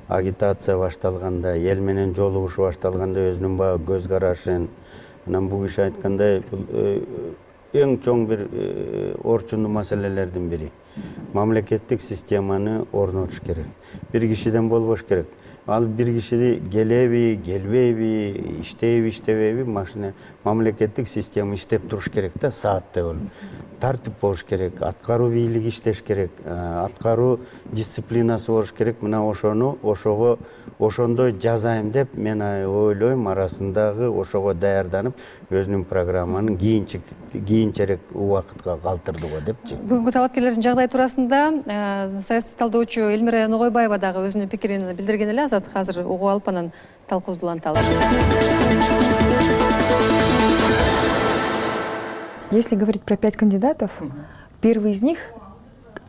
агитация башталганда, эл менен жолугушуу башталганда өзүнүн көз карашын, анан бул киши айткандай, эң чоң бир орчундуу маселелердин бири. Мамлекеттик системаны орнотуш керек. Бир кишиден болбош керек. Ал бир киши келеби, келбейби, иштейби, иштебейби, машина мамлекеттик система иштеп туруш керек да, сааттай болуп. Тартип болуш керек, аткаруу бийлиги иштеш керек, аткаруу дисциплинасы болуш керек. Мына ошондой жазайм деп мен ойлойм, арасындагы ошого даярданып, өзүнүн программанын кийинчерээк убакытка калтырды го депчи. Бүгүнкү талапкерлердин жагдайы туурасында саясий талдоочу Элмира Ногойбаева дагы өзүнүн пикирин билдирген эле. Азат азыр угуп алып анан талкуубузду уланталы. Если говорить про 5 кандидатов, первый из них,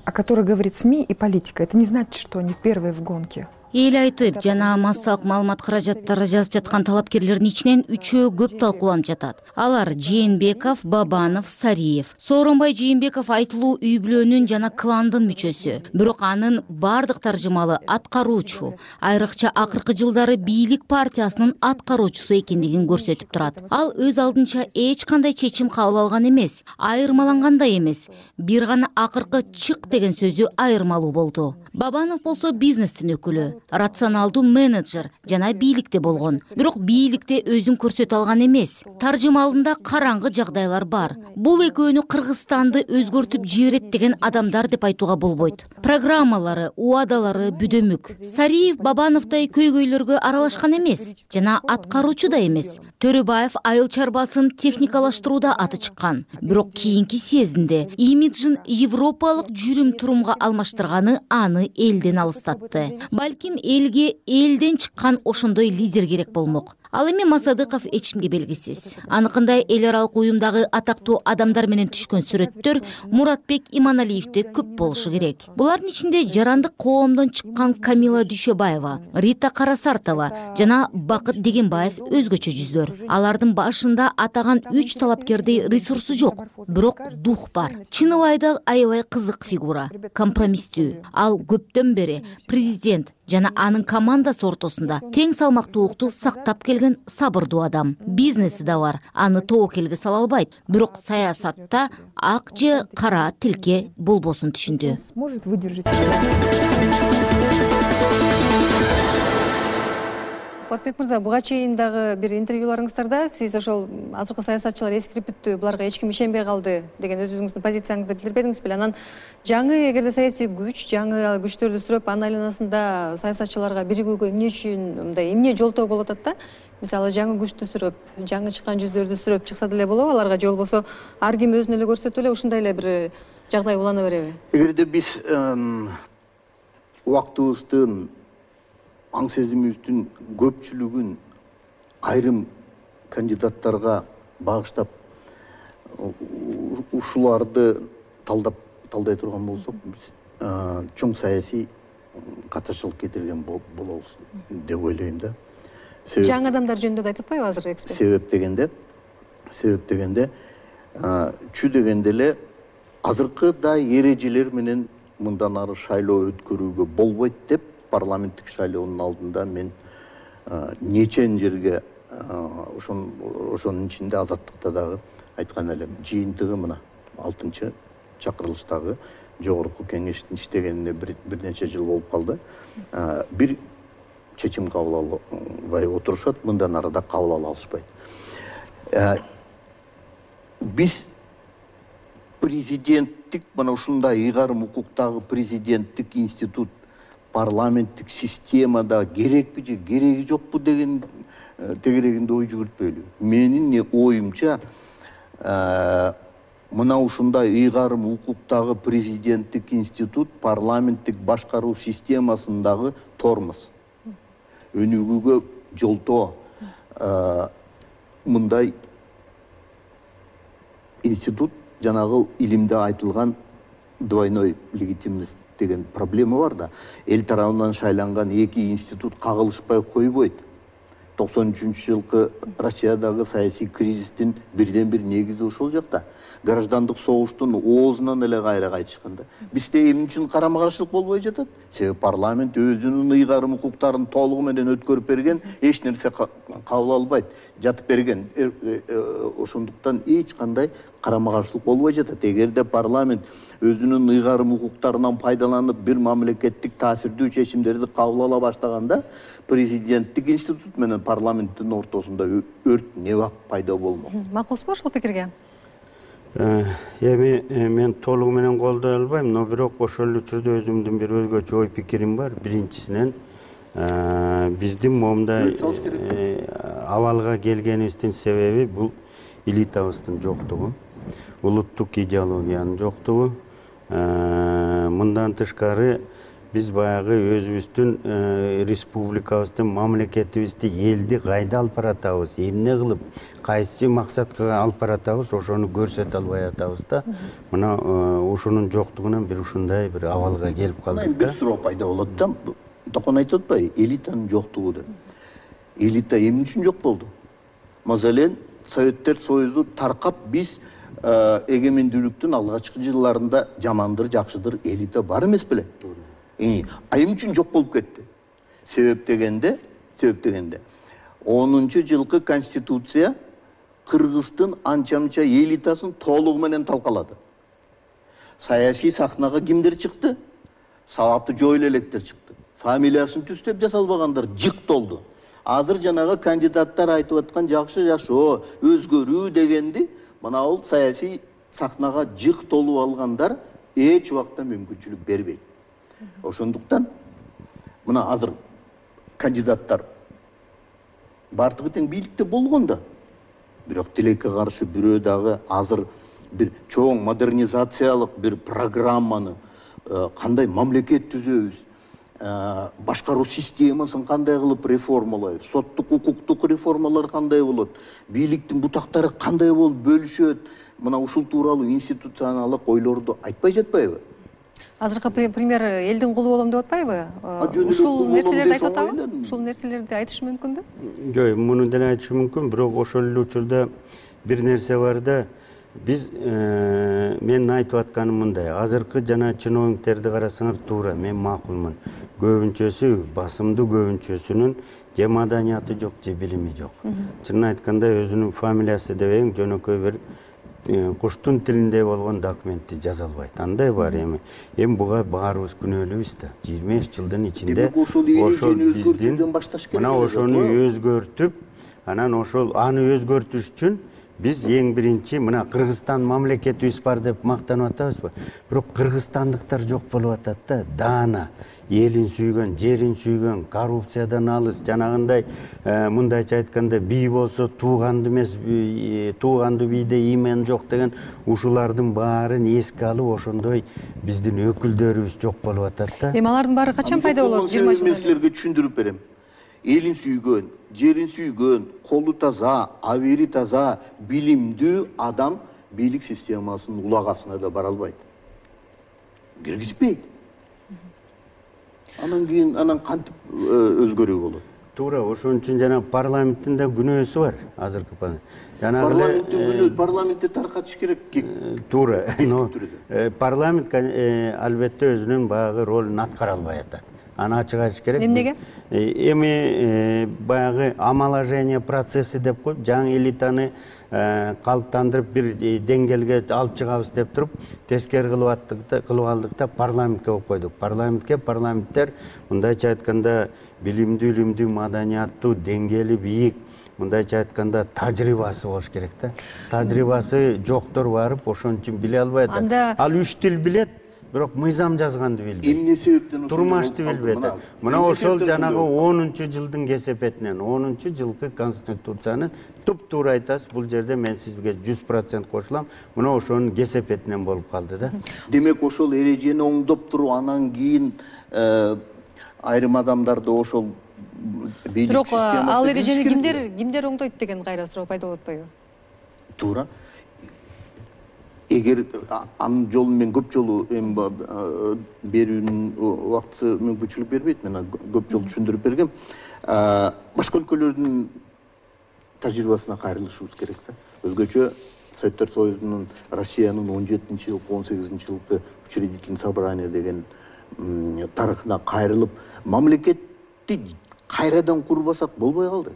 о которых говорит СМИ и политика, это не значит, что они первые в гонке. Эл айтып, жана массалык маалымат каражаттары жазып жаткан талапкерлердин ичинен үчөө көп талкууланып жатат. Алар Жээнбеков, Бабанов, Сариев. Сооронбай Жээнбеков айтылуу үй бүлөнүн жана кландын мүчөсү. Бирок анын бардык таржымалы аткаруучу, айрыкча акыркы жылдары бийлик партиясынын аткаруучусу экендигин көрсөтүп турат. Ал өз алдынча эч кандай чечим кабыл алган эмес, айырмаланган да эмес. Бир гана акыркы чык деген сөзү айырмалуу болду. Бабанов болсо бизнестин өкүлү. рационалдуу менеджер жана бийликте болгон. Бирок бийликте өзүн көрсөтө алган эмес. Таржымалында караңгы жагдайлар бар. Бул экөөнү Кыргызстанды өзгөртүп жиберет деген адамдар деп айтууга болбойт. Программалары, убадалары бүдөмүк. Сариев Бабановдай көйгөйлөргө аралашкан эмес жана аткаруучу да эмес. Төрөбаев айыл чарбасын техникалаштырууда аты чыккан. Бирок кийинки съездинде имиджин европалык жүрүм-турумга алмаштырганы аны элден алыстатты. Балким элге элден чыккан ошондой лидер керек болмок. Ал эми Масадыков эчкимге белгисиз. Аныкындай эл аралык уюмдагы атактуу адамдар менен түшкөн сүрөттөр Муратбек Иманалиевде көп болушу керек. Булардын ичинде жарандык коомдон чыккан Камила Дүйшөбаева, Рита Карасартова жана Бакыт Дегенбаев өзгөчө жүздөр. Алардын башында атаган 3 талапкердей ресурсу жок, бирок дух бар. Чыныбай да аябай кызык фигура, компромисстүү. Ал көптөн бери президент жана анын командасы ортосунда тең салмактуулукту сактап келген сабырдуу адам. Бизнеси да бар, аны тобокелге сала албайт, бирок саясатта ак же кара тилке болбосун түшүндү. Сможет выдержать. Куатбек мырза, буга чейин дагы бир интервьюларыңыздарда сиз ошол азыркы саясатчылар эскирип бүттү, буларга эч ким ишенбей калды деген өзүңүздүн позицияңызды билдирбедиңиз беле? Анан жаңы эгерде саясий күч, жаңы күчтөрдү сүрөп, анын айланасында саясатчыларга биригүүгө эмне үчүн мындай эмне жолтоо болуп атат да? Мисалы жаңы күчтү сүрөп, жаңы чыккан жүздөрдү сүрөп чыкса деле болобу аларга, же болбосо ар ким өзүн эле көрсөтүп эле ушундай эле бир жагдай улана береби? Эгерде биз убактыбыздын аң сезимибиздин көпчүлүгүн айрым кандидаттарга багыштап ушуларды талдай турган болсок, биз чоң саясий катышчылык кетирген болобуз деп ойлойм да. Жаңы адамдар жөнүндө да айтып атпайбы азыр эксперт? Себеп дегенде чү дегенде эле азыркыдай эрежелер менен мындан ары шайлоо өткөрүүгө болбойт деп парламенттик шайлоонун алдында мен нечен жерге ошонун ичинде Азаттыкта дагы айткан элем. Жыйынтыгы мына 6-чакырылыштагы жогорку кеңештин иштегенине бир нече жыл болуп калды. Бир чечим кабыл албай отурушат, мындан ары да кабыл ала алышпайт. Биз президенттик, мына ушундай ыйгарым укуктагы президенттик институт парламенттик системада керекпи же кереги жокпу деген тегерегинде ой жүгүртпөйлү. Менин оюмча мына ушундай ыйгарым укуктагы президенттик институт парламенттик башкаруу системасындагы тормоз. Өнүгүүгө жолтоо мындай институт жанагы илимде айтылган двойной легитимность деген проблема бар да. Эл тарабынан шайланган эки институт кагылышпай койбойт. 93-жылкы Россиядагы саясий кризистин бирден бир негизи ошол жакта. Граждандык согуштун оозунан эле кайра кайтышкан да. Бизде эмне үчүн карама каршылык болбой жатат? Себеби парламент өзүнүн ыйгарым укуктарын толугу менен өткөрүп берген, эч нерсе кабыл албайт, жатып берген. Ошондуктан эч кандай карама каршылык болбой жатат. Эгерде парламент өзүнүн ыйгарым укуктарынан пайдаланып бир мамлекеттик таасирдүү чечимдерди кабыл ала баштаганда, президенттик институт менен парламенттин ортосунда өрт небак пайда болмок. Макулсузбу ушул пикирге? Эми мен толугу менен колдой албайм, но бирок ошол учурда өзүмдүн бир өзгөчө ой пикирим бар. Биринчисинен биздин момундай абалга келгенибиздин себеби бул элитабыздын жоктугу, улуттук идеологиянын жоктугу. Мындан тышкары биз баягы өзүбүздүн республикабыздын, мамлекетибизди, элди кайда алып баратабыз, эмне кылып, кайсы максатка алып баратабыз, ошону көрсөтө албай атабыз да. Мына ошонун жоктугунан бир ушундай бир абалга келип калдык да. Бир суроо пайда болот да. Токон айтып атпайбы, элитанын жоктугу деп. Элита эмне үчүн жок болду? Маселен, Советтер Союзу таркап, биз эгемендүүлүктүн алгачкы жылдарында жамандыр, жакшыдыр элита бар эмес беле? Айым үчүн жок болуп кетти. Себеп дегенде 10-жылкы конституция Кыргыздын анча-мынча элитасын толугу менен талкалады. Саясий сахнага кимдер чыкты? Сабаты жок электер чыкты. фамилиясын түстөп жасалбагандар жык толду. Азыр жанагы кандидаттар айтып аткан жакшы жашоо, өзгөрүү дегенди мына бул саясий сахнага жык толуп алгандар эч убакта мүмкүнчүлүк бербейт. Ошондуктан мына азыр кандидаттар бардыгы тең бийликте болгон да. Бирок тилекке каршы бирөө дагы азыр бир чоң модернизациялык бир программаны кандай мамлекет түзөбүз, башкаруу системасын кандай кылып реформалайбыз, соттук укуктук реформалар кандай болот, бийликтин бутактары кандай болуп бөлүшөт, мына ушул тууралуу институционалдык ойлорду айтпай жатпайбы? Азыркы премьер элдин кулу болом деп атпайбы? Ушул нерселерди айтып атабы? Ушул нерселерди айтышы мүмкүнбү? Жок, муну деле айтышы мүмкүн, бирок ошол эле учурда бир нерсе бар да. Биз мен айтып атканым мындай, азыркы жана чиновниктерди карасаңар туура, мен макулмун. Көбүнчөсү, басымдуу көбүнчөсүнүн же маданияты жок, же билими жок. Чынын айтканда өзүнүн фамилиясы дебең жөнөкөй бир куштун тилинде болгон документти жаза албайт. Андай бар эми. Эми буга баарыбыз күнөөлүүбүз да. 25 жылдын ичинде ошол биздин мына ошону өзгөртүп, анан ошол аны өзгөртүш үчүн биз эң биринчи мына Кыргызстан мамлекетибиз бар деп мактанып атабызбы? Бирок кыргызстандыктар жок болуп атат да. Даана, элин сүйгөн, жерин сүйгөн, коррупциядан алыс, жанагындай мындайча айтканда бий болсо тууганды эмес, тууганды бийде имен жок деген ушулардын баарын эске алып ошондой биздин өкүлдөрүбүз жок болуп атат да. Эми алардын баары качан пайда болот? 20 жылдан? Мен силерге түшүндүрүп берем. Элин сүйгөн, жерин сүйгөн, колу таза, абийри таза, билимдүү адам бийлик системасынын улагасына да бара албайт. Киргизбейт. Анан кийин кантип өзгөрүү болот? Туура, ошон үчүн жана парламенттин да күнөөсү бар азыркы парламенттин күнөө, парламентти таркатыш керек. Туура. Парламент албетте өзүнүн баягы ролун аткара албай атат. Аны ачык айтыш керек. Эмнеге? Эми баягы омоложение процесси деп коюп, жаңы элитаны калыптандырып бир деңгээлге алып чыгабыз деп туруп, тескери кылып алдык да парламентке коюп койдук. Парламенттер мындайча айтканда билимдүү, маданияттуу, деңгээли бийик, мындайча айтканда тажрыйбасы болуш керек да. Тажрыйбасы жоктор барып ошон үчүн биле албай атат. Ал 3 тил билет, бирок мыйзам жазганды билбейт. Эмне себептен турмашты билбейт. Мына ошол жанагы 10-жылдын кесепетинен, 10-жылкы конституциянын туп-туура айтасыз, бул жерде мен сизге 100% кошулам. Мына ошонун кесепетинен болуп калды да. Демек ошол эрежени оңдоп туруп, анан кийин айрым адамдарды ошол бийлик системасына бирок ал эрежени кимдер оңдойт деген кайра суроо пайда болуп атпайбы? Туура. Эгер анын жолун мен көп жолу берүүнүн убакыты мүмкүнчүлүк бербейт, мен көп жолу түшүндүрүп бергем. Башка өлкөлөрдүн тажрыйбасына кайрылышыбыз керек да. Өзгөчө Советтер Союзунун, Россиянын 17-жылкы, 18-жылкы учредительный собрание деген тарыхына кайрылып, мамлекетти кайрадан курбасак болбой калды.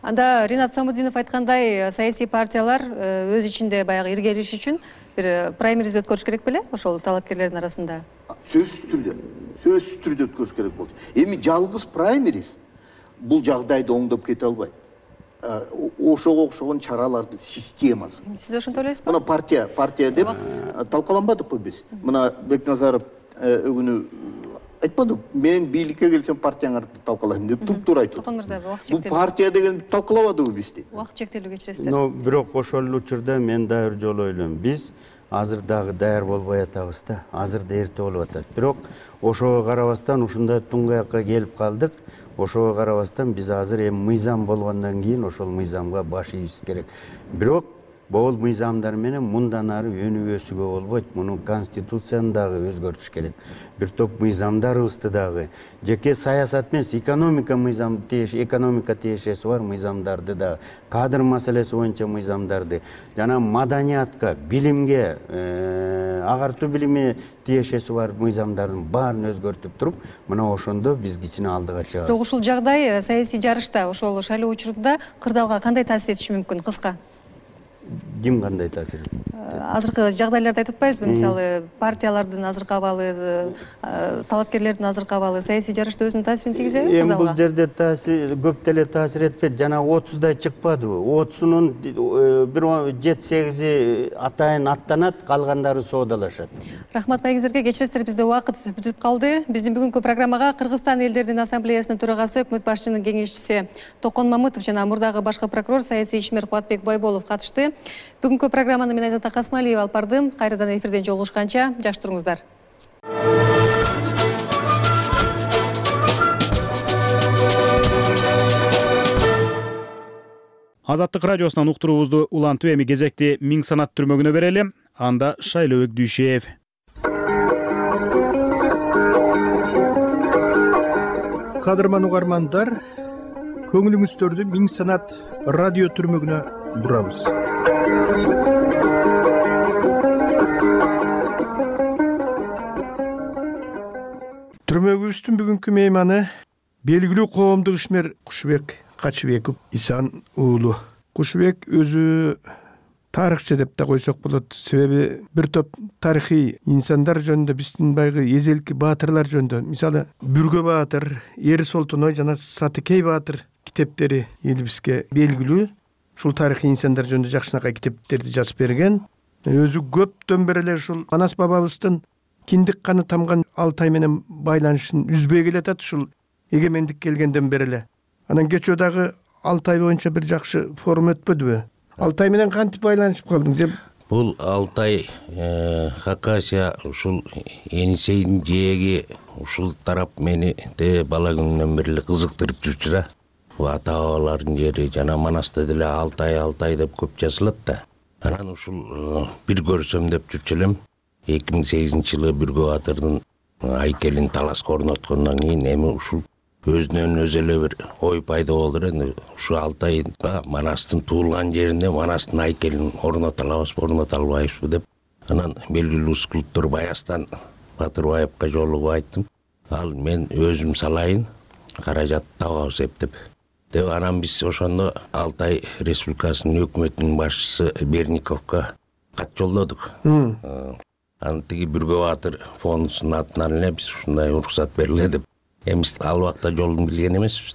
Анда Ринат Самудинов айткандай, саясий партиялар өз ичинде баягы иргелиш үчүн бир праймериз өткөрүш керек беле? Ошол талапкерлердин арасында. Сөзсүз түрдө өткөрүш керек болчу. Эми жалгыз праймериз бул жагдайды оңдоп кете албайт. Ошого окшогон чаралардын системасы. Сиз ошентип ойлойсузбу? Мына партия деп талкаланбадыкпы биз? Мына Бекназаров өгүнү айтпады, мен бийликке келсем партияңарды талкалайм деп туп-туура айтты. Токон мырза, убакыт чектелүү. Бул партия деген талкалабадыбы бизди? Убакыт чектелүү кечиресиздер. Но бирок ошол учурда мен дагы бир жолу ойлойм. Биз азыр дагы даяр болбой атабыз да. Азыр да эрте болуп атат. Бирок ошого карабастан ушундай туңгаякка келип калдык. Ошого карабастан биз азыр эми мыйзам болгондон кийин ошол мыйзамга баш ийишибиз керек. Бирок бул мыйзамдар менен мындан ары өнүп өсүүгө болбойт. Муну конституцияны дагы өзгөртүш керек. Бир топ мыйзамдарыбызды дагы жеке саясат эмес, экономика тиешеси бар мыйзамдарды да, кадр маселеси боюнча мыйзамдарды, жана маданиятка, билимге, агартуу билими тиешеси бар мыйзамдардын баарын өзгөртүп туруп, мына ошондо биз кичине алдыга чыгабыз. Бирок ушул жагдай саясий жарышта, ошол шайлоо учурунда кырдаалга кандай таасир этиши мүмкүн? Кыска. ким кандай таасир этет? Азыркы жагдайларды айтып атпайбызбы? Мисалы, партиялардын азыркы абалы, талапкерлердин азыркы абалы саясий жарышта өзүнүн таасирин тийгизеби? Эми бул жерде таасир көп деле таасир этпейт. Жана 30дай чыкпадыбы? 30-унун бир 7-8 атайын аттанат, калгандары соодалашат. Рахмат байгиңиздерге. Кечиресиздер, бизде убакыт бүтүп калды. Биздин бүгүнкү программага Кыргызстан элдердин ассамблеясынын төрагасы, өкмөт башчынын кеңешчиси Токон Мамытов жана мурдагы башкы прокурор, саясий ишмер Кубатбек Байболов катышты. Бүгүнкү программаны мен Айзат Касмалиева алып бардым. Кайрадан эфирден жолугушканча жакшы туруңуздар. Азаттык радиосунан уктуруубузду улантып эми кезекти Миң санат түрмөгүнө берели. Анда Шайлообек Дүйшеев. Кадырман угармандар, көңүлүңүздөрдү Миң санат радио түрмөгүнө бурабыз. Түрмөгүбүздүн бүгүнкү мейманы белгилүү коомдук ишмер Кушубек Качыбеков Исан уулу. Кушубек өзү тарыхчы деп да койсок болот. Себеби бир топ тарыхый инсандар жөнүндө, биздин байгы эзелки баатырлар жөнүндө, мисалы Бүргө баатыр, Эр Солтоной жана Сатыкей баатыр китептери элибизге белгилүү. Ушул тарыхый инсандар жөнүндө жакшынакай китептерди жазып берген. Өзү көптөн бери эле ушул Манас бабабыздын киндик каны тамган Алтай менен байланышын үзбөй келатат, ушул эгемендик келгенден бери эле. Анан кечөө дагы Алтай боюнча бир жакшы форум өтпөдүбү? Алтай менен кантип байланышып калдың деп? Бул Алтай, Хакасия, ушул Енисейдин жээги, ушул тарап мени бала күнүмдөн бери эле кызыктырып жүрчү да. Ата бабалардын жери жана Манаста деле Алтай деп көп жазылат да. Анан ушул бир көрсөм деп жүрчү элем. 2008-жылы Бүргө баатырдын айкелин таласка орноткондон кийин эми ушул өзүнөн өзү эле бир ой пайда болду. Эми ушу Алтайда Манастын туулган жеринде Манастын айкелин орното алабызбы, орното албайбызбы деп анан белгилүү скульптор Баястан Батырбаевка жолугуп айттым. Ал мен өзүм салайын, каражат табабыз эптеп. Деп анан биз ошондо Алтай Республикасынын өкмөтүнүн башчысы Берниковго кат жолдодук. Анан тиги Бүргө баатыр фондунун атынан эле биз ушундай уруксат бериле деп. Эми ал убакта жолун билген эмеспиз.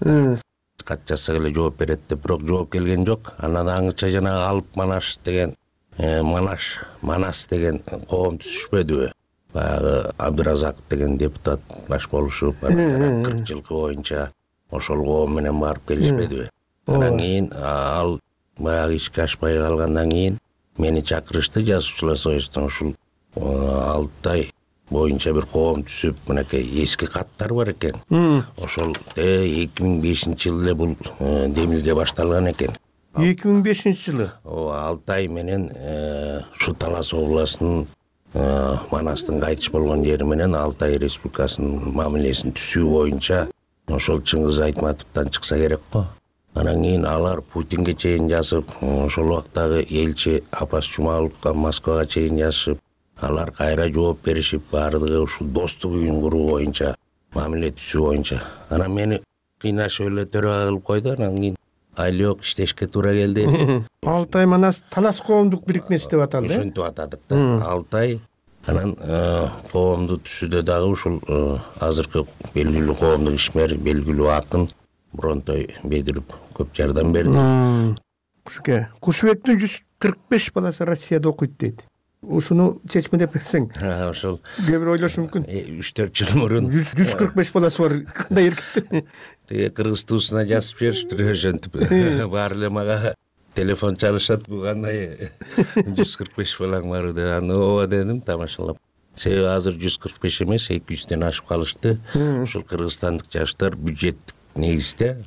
Кат жазсак эле жооп берет деп, бирок жооп келген жок. Анан аңыча жанагы Алып Манаш деген Манас деген коом түзүшпөдүбү? Баягы Абдыразаков деген депутат баш болушуп, 40 жылкы боюнча ошол коом менен барып келишпедиби? Анан кийин ал баягы ишке ашпай калгандан кийин мени чакырышты жазуучулар союзунан. Ушул Алтай боюнча бир коом түзүп, мынакей эски каттар бар экен. Ошол 2005-жылы эле бул демилге башталган экен. 2005-жылы? Алтай менен ушу Талас областынын Манастын кайтыш болгон жери менен Алтай Республикасынын мамилесин түзүү боюнча ошол Чыңгыз Айтматовдон чыкса керек го. Анан кийин алар Путинге чейин жазып, ошол убактагы элчи Апас Жумаловго Москвага чейин жазышып, алар кайра жооп беришип, баардыгы ушул достук үйүн куруу боюнча, мамиле түзүү боюнча. Анан мени кыйнашып эле төрага кылып койду. Анан кийин айлык иштешке туура келди. Алтай Манас Талас коомдук бирикмеси деп аталды. Ошентип атадык да. Алтай. Анан коомду түзүүдө дагы ушул азыркы белгилүү коомдук ишмер, белгилүү акын Бронтой Бедиров көп жардам берди. Кушубектин 145 баласы Россияда окуйт дейт. Ушуну чечме деп берсең. Ошол. Кээ бир ойлошу мүмкүн. 3-4 жыл мурун 145 баласы бар. Кандай эркек? Тиги кыргыз туусуна жазып беришиптир ошентип. Баары эле мага телефон чалышат, бу кандай 145 балаң бар деп. Аны ооба дедим, тамашалап. Себеби азыр 145 эмес, 200дөн ашып калышты. Ушул кыргызстандык жаштар бюджеттик негизде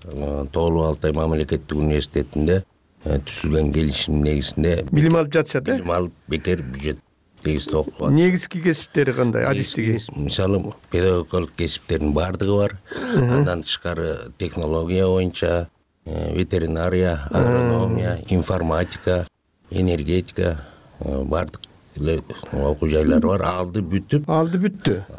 Тоолуу Алтай мамлекеттик университетинде түзүлгөн келишим негизинде билим алып жатышат, билим алып бекер бюджет негизде окуп атат. Негизги кесиптери кандай? Адистиги? Мисалы, педагогикалык кесиптердин баардыгы бар. Андан тышкары технология боюнча, ветеринария, агрономия, информатика, энергетика, баардык эле окуу жайлары бар. Алды бүттү.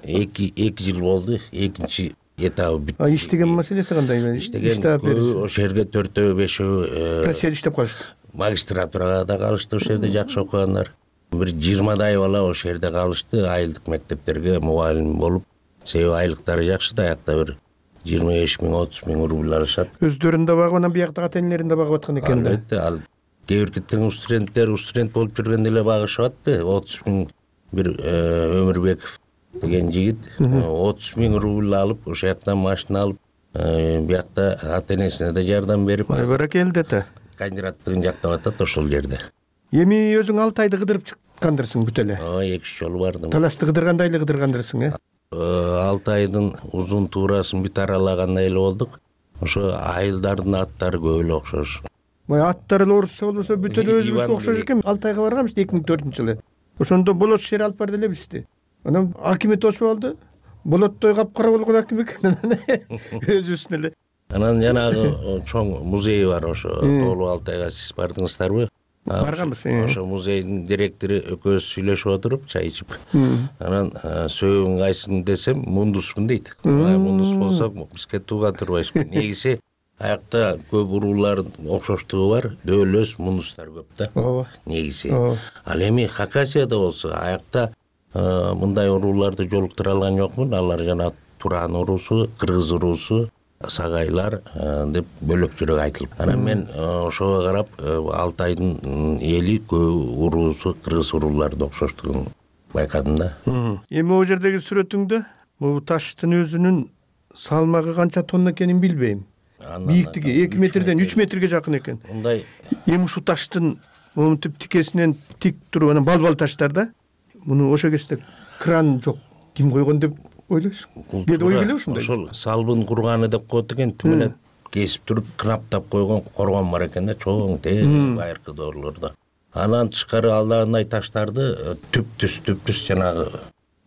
2 жыл болду. Экинчи этабы бүттү. Иштеген маселеси кандай? Иштеген ошол жерге 4-5 Россияда иштеп калышты. магистратурага да калышты, ошол жерде жакшы окугандар. Бир 20дай бала ошол жерде калышты, айылдык мектептерге мугалим болуп. Себеби айлыктары жакшы да, аякта бир 25 миң, 30 миң рубль алышат. Өздөрүн да багып, анан биякта ата-энелерин да багып аткан экен да. Албетте, ал кээ биркиттин студент болуп жүргөндө эле багышып атты. 30 миң бир Өмүрбеков деген жигит 30 миң рубль алып, ошол жактан машина алып, биякта ата-энесине да жардам берип. Баракелде да. Кандидаттыгын жактап атат ошол жерде. Эми өзүң 6 айды кыдырып чыккандырсың бүт эле. 2-3 жолу бардым. Талашты кыдыргандай эле кыдыргандырсың, 6 айдын узун туурасын бүт аралагандай эле болдук. Ошо айылдардын аттары көп эле окшош. Аттары эле орусча болбосо бүт эле өзүбүзгө окшош экен. 6 айга барганбыз 2004-жылы. Ошондо болот шер алып барды эле бизди. Анан акимет тосуп алды. Болоттой капкара болгон аким экен. Өзүбүздүн эле. Анан жанагы чоң музей бар, ошо Тоолуу Алтайга сиз бардыңыздарбы? Барганбыз. Ошо музейдин директору экөөбүз сүйлөшүп отуруп, чай ичип. Анан сөөгүң кайсың десем, мундуспун дейт. Мундус болсо бизге тууга турбайсызбы. Негизи аякта көп уруулардын окшоштугу бар, дөөлөс мундустар көп да. Негизи. Ал эми Хакасияда болсо аякта мындай урууларды жолуктура алган жокмун. Алар жана Туран уруусу, Кыргыз уруусу, Сагайлар деп бөлөк жүрөк айтылып. Анан мен ошого карап Алтайдын эли көп уруусу Кыргыз урууларды окшоштугун байкадым да. Эми могу жердеги сүрөтүңдө бул таштын өзүнүн салмагы канча тонна экенин билбейм. Бийиктиги 2 метрден 3 метрге жакын экен. Мындай эми ушул таштын момунтип тикесинен тик туруп анан балбал таштар да. Муну ошо кезде кран жок. Ким койгон деп ойлойсуң? Дед ой келеби ушундай? Ошол салбын курганы деп коет экен. Тим эле кесип туруп кынаптап койгон коргон бар экен да, чоң байыркы доорлордо. Анан тышкары алдагындай таштарды түптүс жанагы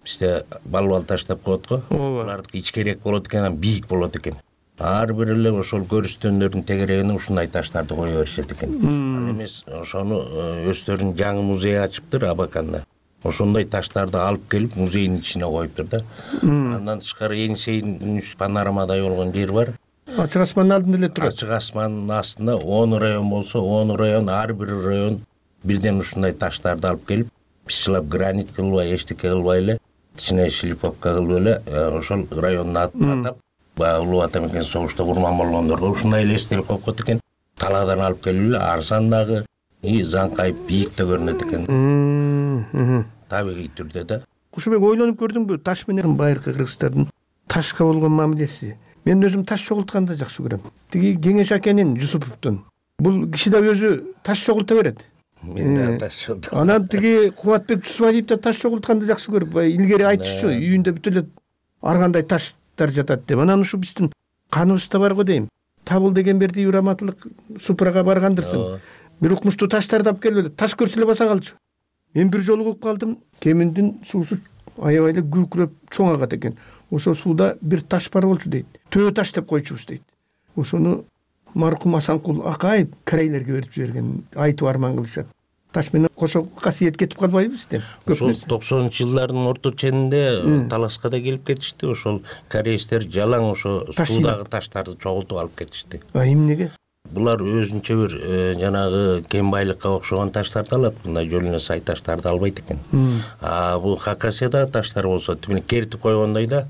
бизде балбал таш деп коет го. Булардыкы ичкерээк болот экен, анан бийик болот экен. Ар бир эле ошол көрүстөндөрдүн тегерегине ушундай таштарды кое беришет экен. Ал эмес ошону өздөрүнүн жаңы музей ачыптыр Абаканда. Ошондой таштарды алып келип музейдин ичине коюптур да. Андан тышкары Енисейдин панорамадай болгон жер бар. Ачык асмандын алдында эле турат. Ачык асмандын астында 10 район болсо, 10 район, ар бир район бирден ушундай таштарды алып келип, бишчилап гранит кылбай, эчтеке кылбай эле, кичине шлифовка кылып эле, ошол райондун атын атап, баягы Улуу Ата Мекен согушта курман болгондорго ушундай эле эстелик коюп койт экен. Талаадан алып келип эле арзан дагы, заңкайып бийик да көрүнөт экен. Табигый түрдө да. Кушубек, ойлонуп көрдүңбү таш менен байыркы кыргыздардын ташка болгон мамилеси? Мен өзүм таш чогултканды жакшы көрөм. Тиги Кеңеш акенин Жусуповдун. Бул киши да өзү таш чогулта берет. Мен да таш чогултам. Анан тиги Кубатбек Жусупалиев да таш чогултканды жакшы көрүп, илгери айтышчу, үйүндө бүт эле ар кандай таштар жатат деп. Анан ушу биздин каныбызда бар го дейм. Табыл деген берди ураматылык Супрага баргандырсың. Бир укмуштуу таштарды алып келип эле таш көрсө эле баса калчу. Мен бир жолу угуп калдым, кеминдин суусу аябай эле күлкүрөп чоң агат экен. Ошо сууда бир таш бар болчу дейт. Төө таш деп койчубуз дейт. Ошону маркум Асанкул Акаев корейлерге берип жиберген, айтып арман кылышат. Таш менен кошо касиет кетип калбайбы бизде? Ошол 90-жылдардын орто ченинде таласка да келип кетишти. Ошол кореецтер жалаң ошо суудагы таштарды чогултуп алып кетишти. Эмнеге? Булар өзүнчө бир жанагы кен байлыкка окшогон таштарды алат, мындай жолуна сай таштарды албайт экен. Бул Хакасияда таштар болсо тимиле кертип койгондой да,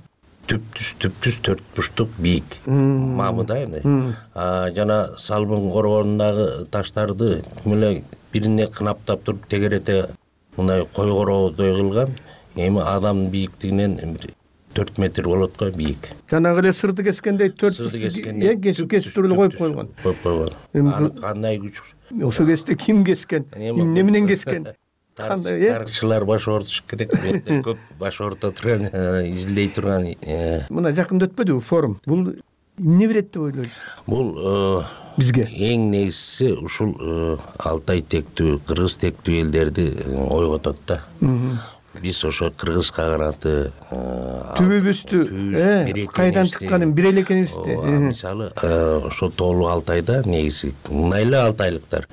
түптүс төрт бурчтук бийик мамы да эми. Жана салбын коргонундагы таштарды тимиле бирине кынаптап туруп тегерете мындай кой короодой кылган. Эми адамдын бийиктигинен 4 метр болот го бийик. Жанагы эле сырды кескендей 4 кесип туруп коюп койгон. Кандай күч? Ошо кезде ким кескен? Эмне менен кескен? Тарыхчылар баш ортуш керек. Менде көп баш орто турган, изилдей турган. Мына жакында өтпөдүбү форум? Бул эмне берет деп ойлойсуз? Бул бизге эң негизгиси ушул Алтай тектүү, кыргыз тектүү элдерди ойготот да. Биз ошо кыргызга караты түбүбүздү кайдан чыкканын бир эле экенибизди. Мисалы ошо Тоолуу Алтайда негизи мындай эле алтайлыктар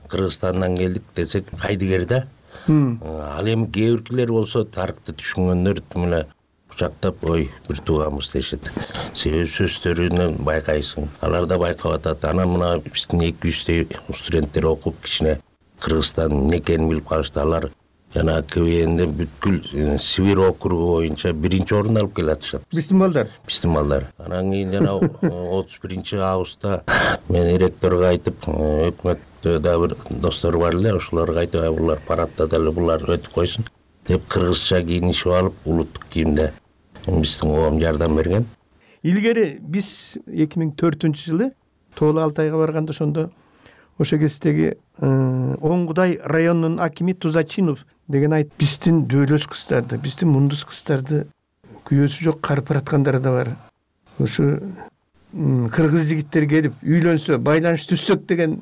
Кыргызстандан келдик десек кайдыгер да. Ал эми кээ биркилер болсо тарыхты түшүнгөндөр тим эле кучактап ой бир тууганбыз дешет. Себеби сөздөрүнөн байкайсың. Алар да байкап атат. Анан мына биздин 200 студенттер окуп кичине Кыргызстан эмне экенин билип калышты. Алар жана КВНде бүткүл Сибирь округу боюнча 1-орунду алып келатышат. Биздин балдар. Анан кийин жана 31-августта мен ректорго айтып, өкмөттө да бир достор бар эле, ошолорго айтып, булар парадта деле булар өтүп койсун деп кыргызча кийинишип алып, улуттук кийимде биздин коом жардам берген. Илгери биз 2004-жылы Тоолу Алтайга барганда ошондо ошо кездеги Оңгудай районунун акими Тузачинов деген айтып, биздин дөөлөс кыздарды, биздин мундус кыздарды күйөөсү жок карып бараткандар да бар. Ошо кыргыз жигиттер келип үйлөнсө, байланыш түзсөк деген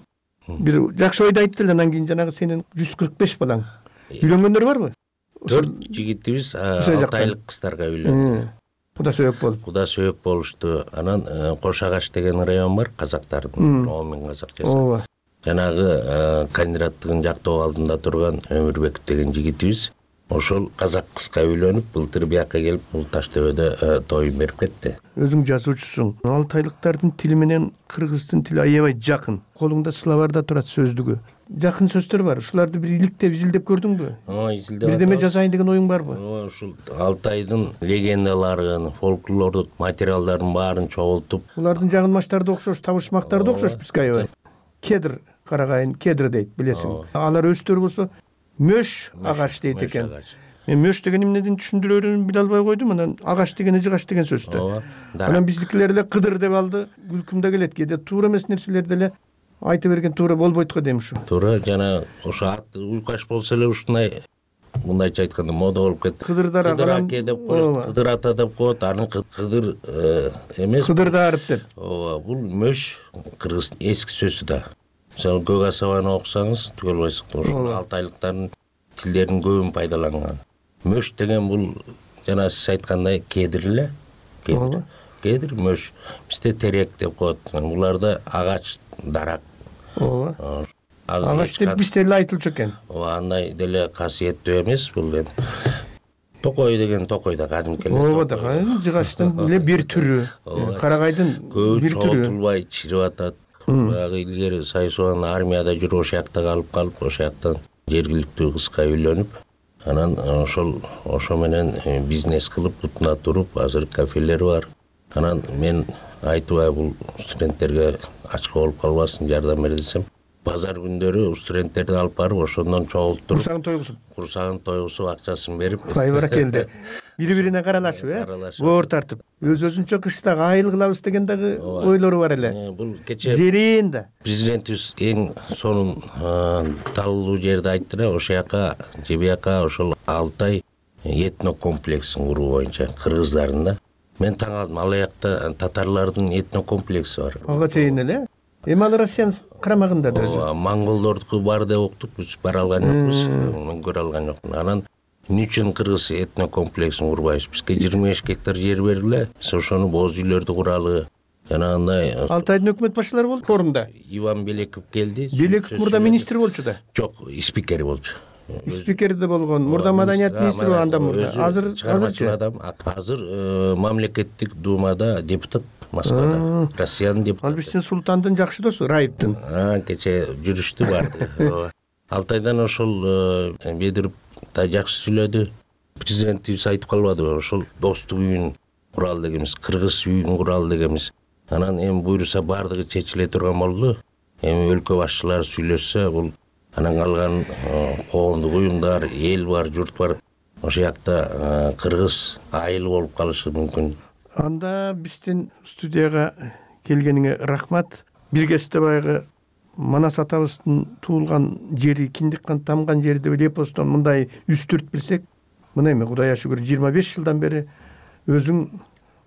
бир жакшы ойду айтты эле. Анан кийин жанагы сенин 145 балаң үйлөнгөндөр барбы? 4 жигитибиз 6 айлык кыздарга үйлөндү. Куда сөйөк болушту. Анан Кош Агач деген район бар, казактардын, 10 000 казак жашайт. Жанагы кандидаттыгын жактоо алдында турган Өмүрбеков деген жигитибиз ошол казак кызга үйлөнүп, былтыр бияка келип, бул Таш төбөдө тоюн берип кетти. Өзүң жазуучусуң. Алтайлыктардын тили менен кыргыздын тили аябай жакын. Колуңда словарда турат сөздүгү. Жакын сөздөр бар. Ушуларды бир иликтеп, изилдеп көрдүңбү? Изилдеп. Бирдеме жазайын деген оюң барбы? Ушул Алтайдын легендаларын, фольклордук материалдарын баарын чогултуп. Булардын жагынмаштары да окшош, табышмактары да окшош бизге аябай. Кедр карагайын, кедр дейт, билесиң. Алар өздөрү болсо мөш агач дейт экен. Мен мөш деген эмнеден түшүндүрөрүн биле албай койдум. Анан агач деген ыжыгач деген сөздү. Анан биздикилер эле кыдыр деп алды. Күлкүм да келет. Кээде туура эмес нерселерди эле айтып берген туура болбойт го дейм ушу. Туура, жана ошо аты уйкаш болсо эле ушундай мындайча айтканда мода болуп кетти. Кыдырдар аке деп коет, Кыдыр ата деп коет, аны Кыдыр эмес. Кыдырдарып деп. Ооба, бул мөш кыргыз эски сөзү да. Мисалы Көк асабаны окусаңыз түгөл болсок, ошол алтайлыктардын тилдеринин көбүн пайдаланган. Мөш деген бул жана сиз айткандай кедир эле. Кедир, мөш. Бизде терек деп коет. Буларда агач, дарак. Ооба. Агач деп бизде эле айтылчу экен. Ооба, андай деле касиеттүү эмес бул эми. Токой деген токой да кадимки эле. Ооба да, жыгачтын эле бир түрү. Карагайдын бир түрү. Чогултулбай чирип атат. Баягы илгери Сайсуан армияда жүрүп, ошол жакта калып, ошол жактан жергиликтүү кызга үйлөнүп, анан ошо менен бизнес кылып, бутуна туруп, азыр кафелери бар. Анан мен айтып, бул студенттерге ачка болуп калбасын, жардам бере десем, базар күндөрү студенттерди алып барып, ошондон чогултуруп, курсагын тойгусуп, акчасын берип, кай баракелди. Бири-бирине каралашып, боор тартып, өз-өзүнчө кыштагы айыл кылабыз деген дагы ойлору бар эле. Бул кече жерин да президентибиз эң сонун талуу жерди айтты да, ошол жака же бияка ошол Алтай этно комплексин куруу боюнча кыргыздардын да. Мен таң калдым, ал жакта татарлардын этно комплекси бар. Ага чейин эле. Эми ал Россиянын карамагында да өзү. Монголдордуку бар деп уктук, биз бара алган жокпуз, мен көрө алган жокмун. Анан эмне үчүн кыргыз этно комплексин курбайбыз? Бизге 25 гектар жер бериле, биз ошону боз үйлөрдү куралы. Жанагындай Алтайдын өкмөт башчылары болду форумда. Иван Белеков келди. Белеков мурда министр болчу да. Жок, спикер болчу. Спикер да болгон. Мурда маданият министри анда мурда. Азыр мамлекеттик думада депутат Москвада. Россиянын депутаты. Ал биздин султандын жакшы досу, Раиптин. Кече жүрүштү барды. Алтайдан ошол Бедирип да жакшы сүйлөдү. Президентибиз айтып калбадыбы, ошол достук үйүн куралы дегенбиз, кыргыз үйүн куралы дегенбиз. Анан эми буйруса бардыгы чечиле турган болду. Эми өлкө башчылары сүйлөшсө, бул анан калган коомдук уюмдар, эл бар, журт бар. Ошол жакта кыргыз айыл болуп калышы мүмкүн. Анда биздин студияга келгениңе рахмат. Бир кезде баягы Манас атабыздын туулган жери, киндик тамган жери деп эпостон мындай үстүрт билсек, мына эми Кудайга шүгүр 25 жылдан бери өзүң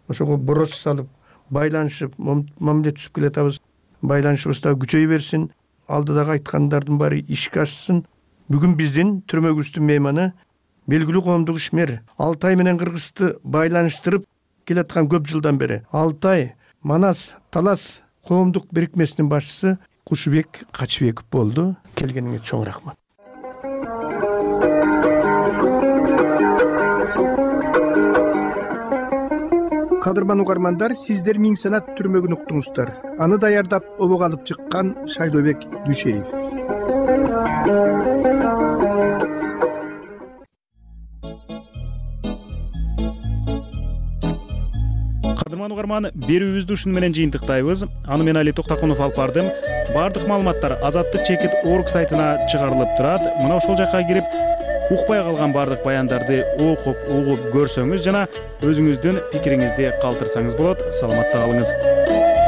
ошого бороз салып, байланышып, мамиле түзүп келатабыз. Байланышыбыз да күчөй берсин. Алдыдагы айткандардын баары ишке ашсын. Бүгүн биздин түрмөгүбүздүн мейманы белгилүү коомдук ишмер, Алтай менен Кыргызды байланыштырып келаткан көп жылдан бери Алтай, Манас, Талас коомдук бирикмесинин башчысы Кушубек Качыбеков болду. Келгениңе чоң рахмат. Кадырман угармандар, сиздер Миң санат түрмөгүн уктуңуздар. Аны даярдап обого алып чыккан Шайлообек Дүйшеев. Кадырман угарман, берүүбүздү ушуну менен жыйынтыктайбыз. Аны мен Али Токтакунов алып бардым. Бардык маалыматтар Азаттык чекит орг сайтына чыгарылып турат. Мына ошол жакка кирип, укпай калган бардык баяндарды окуп, угуп көрсөңүз жана өзүңүздүн пикириңизди калтырсаңыз болот. Саламатта калыңыз.